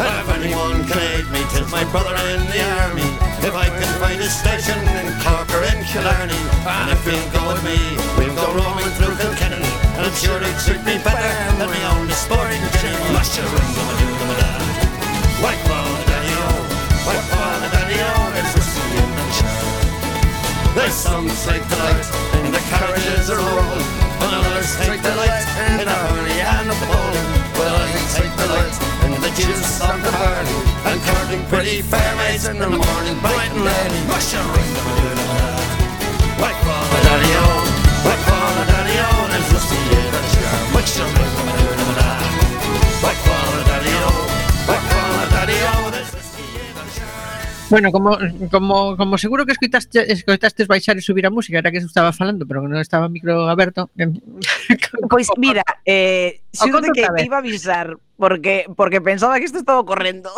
If anyone can aid in the army. If I can find a station in Cork or in Killarney, and if you'll go with me, we'll go roaming through Kilkenny. And I'm sure it'd suit me better than me own the sporting Jenny. Mush-a-ring-a-ma-doo-a-ma-da. White ball, daddy-o, white ball, daddy-o, it's whiskey in the jar. There's some take delight in the carriages are rolling, and others take delight in a hurry and a bowling. Well, I take delight in the juice of the barley, and courting pretty fair maids in the morning, bright and early. Mush-a-ring-a-ma-doo-a-ma-da. White ball, daddy-o, white ball, daddy-o, there's whiskey in the jar. Mush-a-ring-a-ma-doo-a-ma-da. White ball, daddy-o, white ball, daddy-o, there's whiskey in the jar. Bueno, como, como, como seguro que escoitaste, escoitaste baixar e subir a música, era que se estaba falando, pero non estaba o micro aberto. Pois mira, eh, O xuro conto que outra vez. te iba a avisar porque porque pensaba que isto estaba correndo.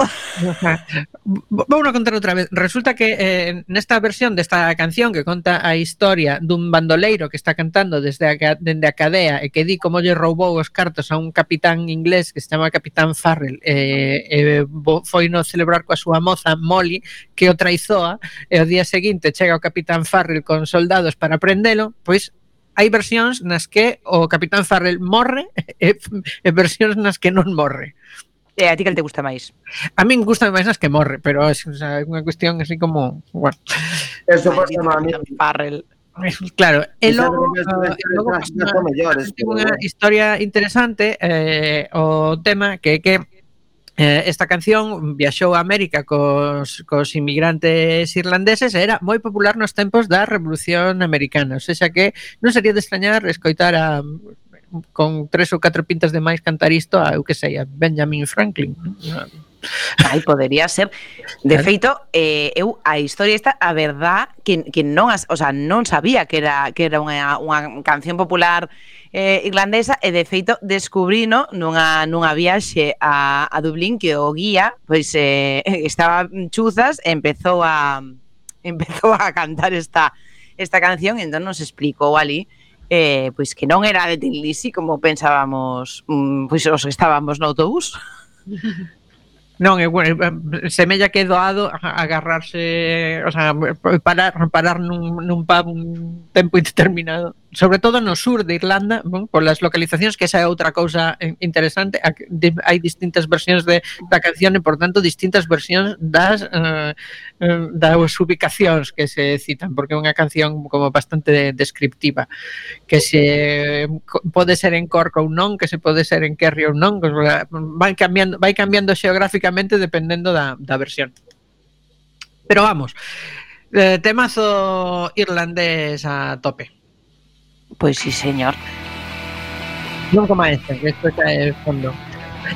Vou a contar outra vez. Resulta que eh, nesta versión desta canción que conta a historia dun bandoleiro que está cantando desde a, ca- dende a cadea e que di como lle roubou os cartos a un capitán inglés que se chama Capitán Farrell e eh, eh, foi no celebrar coa súa moza Molly que o traizoa e o día seguinte chega o Capitán Farrell con soldados para prendelo, pois hai versións nas que o Capitán Farrell morre e, e versións nas que non morre. E a ti que te gusta máis? A min gusta máis nas que morre, pero é o sea, unha cuestión así como, bueno, Eso Ai, pasa sí, a mí. Farrell. claro, e Esa logo, é uh, a e logo das das mellores, ten pero unha bueno. historia interesante eh, o tema que é que eh, esta canción viaxou a América cos, cos inmigrantes irlandeses e era moi popular nos tempos da Revolución Americana, ou seja que non sería de extrañar escoitar a con tres ou catro pintas de máis cantar isto a, eu que sei, a Benjamin Franklin. Ai, podería ser. De Claro. feito, eh, eu a historia esta, a verdad, que, que non, as, o sea, non sabía que era que era unha, unha canción popular eh, irlandesa e de feito descubrino nunha nunha viaxe a, a Dublín que o guía, pois eh, estaba chuzas e empezou a empezou a cantar esta esta canción e entón nos explicou ali eh, pois que non era de Tin Lizzy como pensábamos, mm, pois os que estábamos no autobús. Non, é bueno, semella que é doado agarrarse, o sea, parar, parar nun, nun pub un tempo indeterminado, sobre todo no sur de Irlanda, bon, por las localizacións, que esa é outra cousa interesante, hai distintas versións de, da canción e, por tanto, distintas versións das uh, das ubicacións que se citan, porque é unha canción como bastante descriptiva, que se pode ser en Cork ou non, que se pode ser en Kerry ou non, vai cambiando, vai cambiando xeográficamente dependendo da, da versión. Pero vamos, eh, temazo irlandés a tope. Pois sí, señor. Non como este, que isto xa é fondo.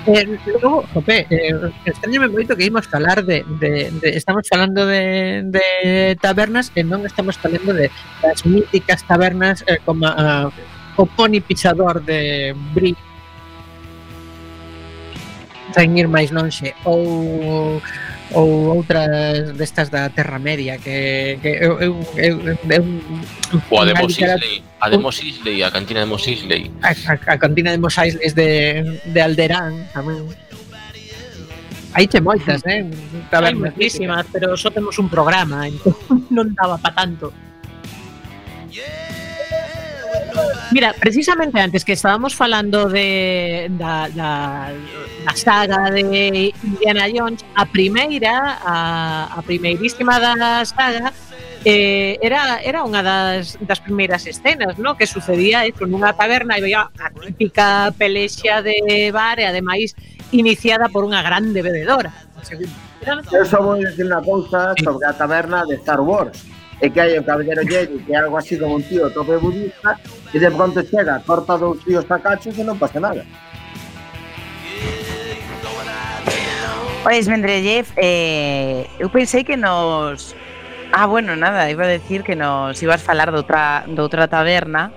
Eh, logo, jope, eh, extrañame moito que imos falar de, de, de estamos falando de, de tabernas e non estamos falando de das míticas tabernas eh, como uh, o Pony Pichador de Brie, sen ir máis lonxe, ou ou outras destas da Terra Media que, que eu, eu, eu, eu, O a de unha Mos literatura- Eisley, a de Mos Eisley, a cantina de Mos Eisley. a, a, a cantina de Mos Eisley de, de Alderán tamén. Hai che moitas, eh? Hai Tabernas moitísimas, pero só temos un programa, entón non daba pa tanto. Mira, precisamente antes que estábamos falando de da, da, da saga de Indiana Jones, a primeira, a, a primeirísima da saga, eh, era, era unha das, das primeiras escenas, ¿no? Que sucedía eso, nunha taberna e veía a típica pelexa de bar e ademais iniciada por unha grande bebedora. Era Eu só vou dicir unha cousa sobre a taberna de Star Wars. É que hai o Caballero Jedi, que é algo así como un tío tope budista, e de pronto chega, corta dous tíos a cachos e non pasa nada. Pois, Mendrellev, eh, eu pensei que nos... Ah, bueno, nada, iba a decir que nos ibas falar de outra, de outra taberna,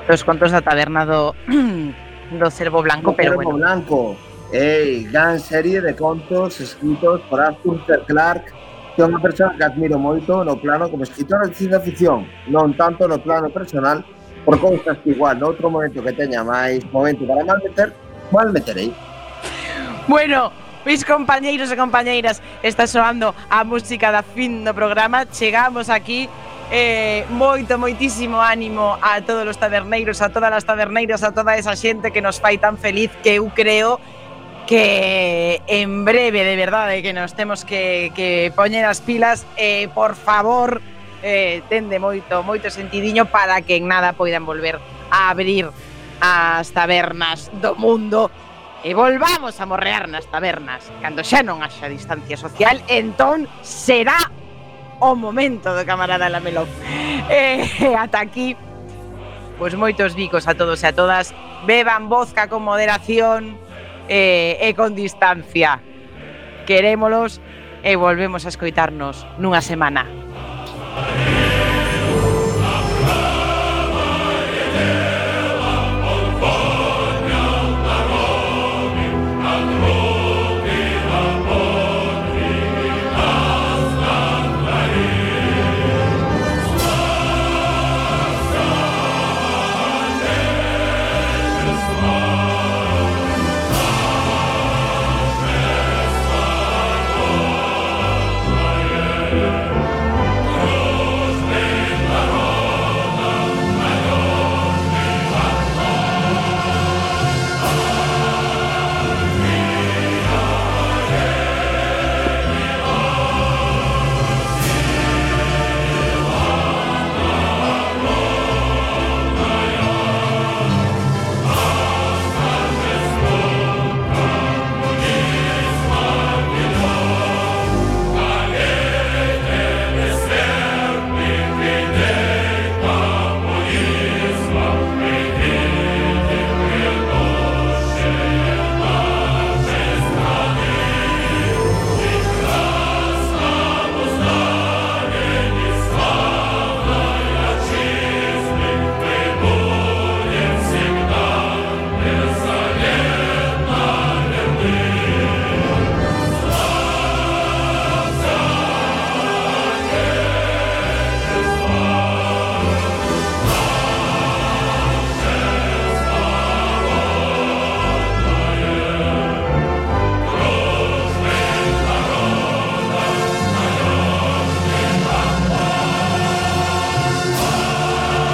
dos contos da taberna do, do Cervo Blanco, pero Cervo bueno. Blanco, ei, gran serie de contos escritos por Arthur C. Clarke, que é unha persoa que admiro moito no plano como escritora de ciencia ficción, non tanto no plano personal, por cousas que igual no outro momento que teña máis momento para malmeter, malmeterei. Bueno, Mis compañeiros e compañeiras, está soando a música da fin do programa. Chegamos aquí. Eh, moito, moitísimo ánimo a todos os taberneiros, a todas as taberneiras, a toda esa xente que nos fai tan feliz, que eu creo que en breve, de verdade, que nos temos que, que poñer as pilas. Eh, por favor, eh, tende moito, moito sentidiño para que en nada poidan volver a abrir as tabernas do mundo e volvamos a morrear nas tabernas cando xa non haxa distancia social. Entón será o momento do camarada Lamelov. Eh, ata aquí, pois moitos bicos a todos e a todas. Beban vodka con moderación eh, e con distancia. Querémolos e volvemos a escoitarnos nunha semana.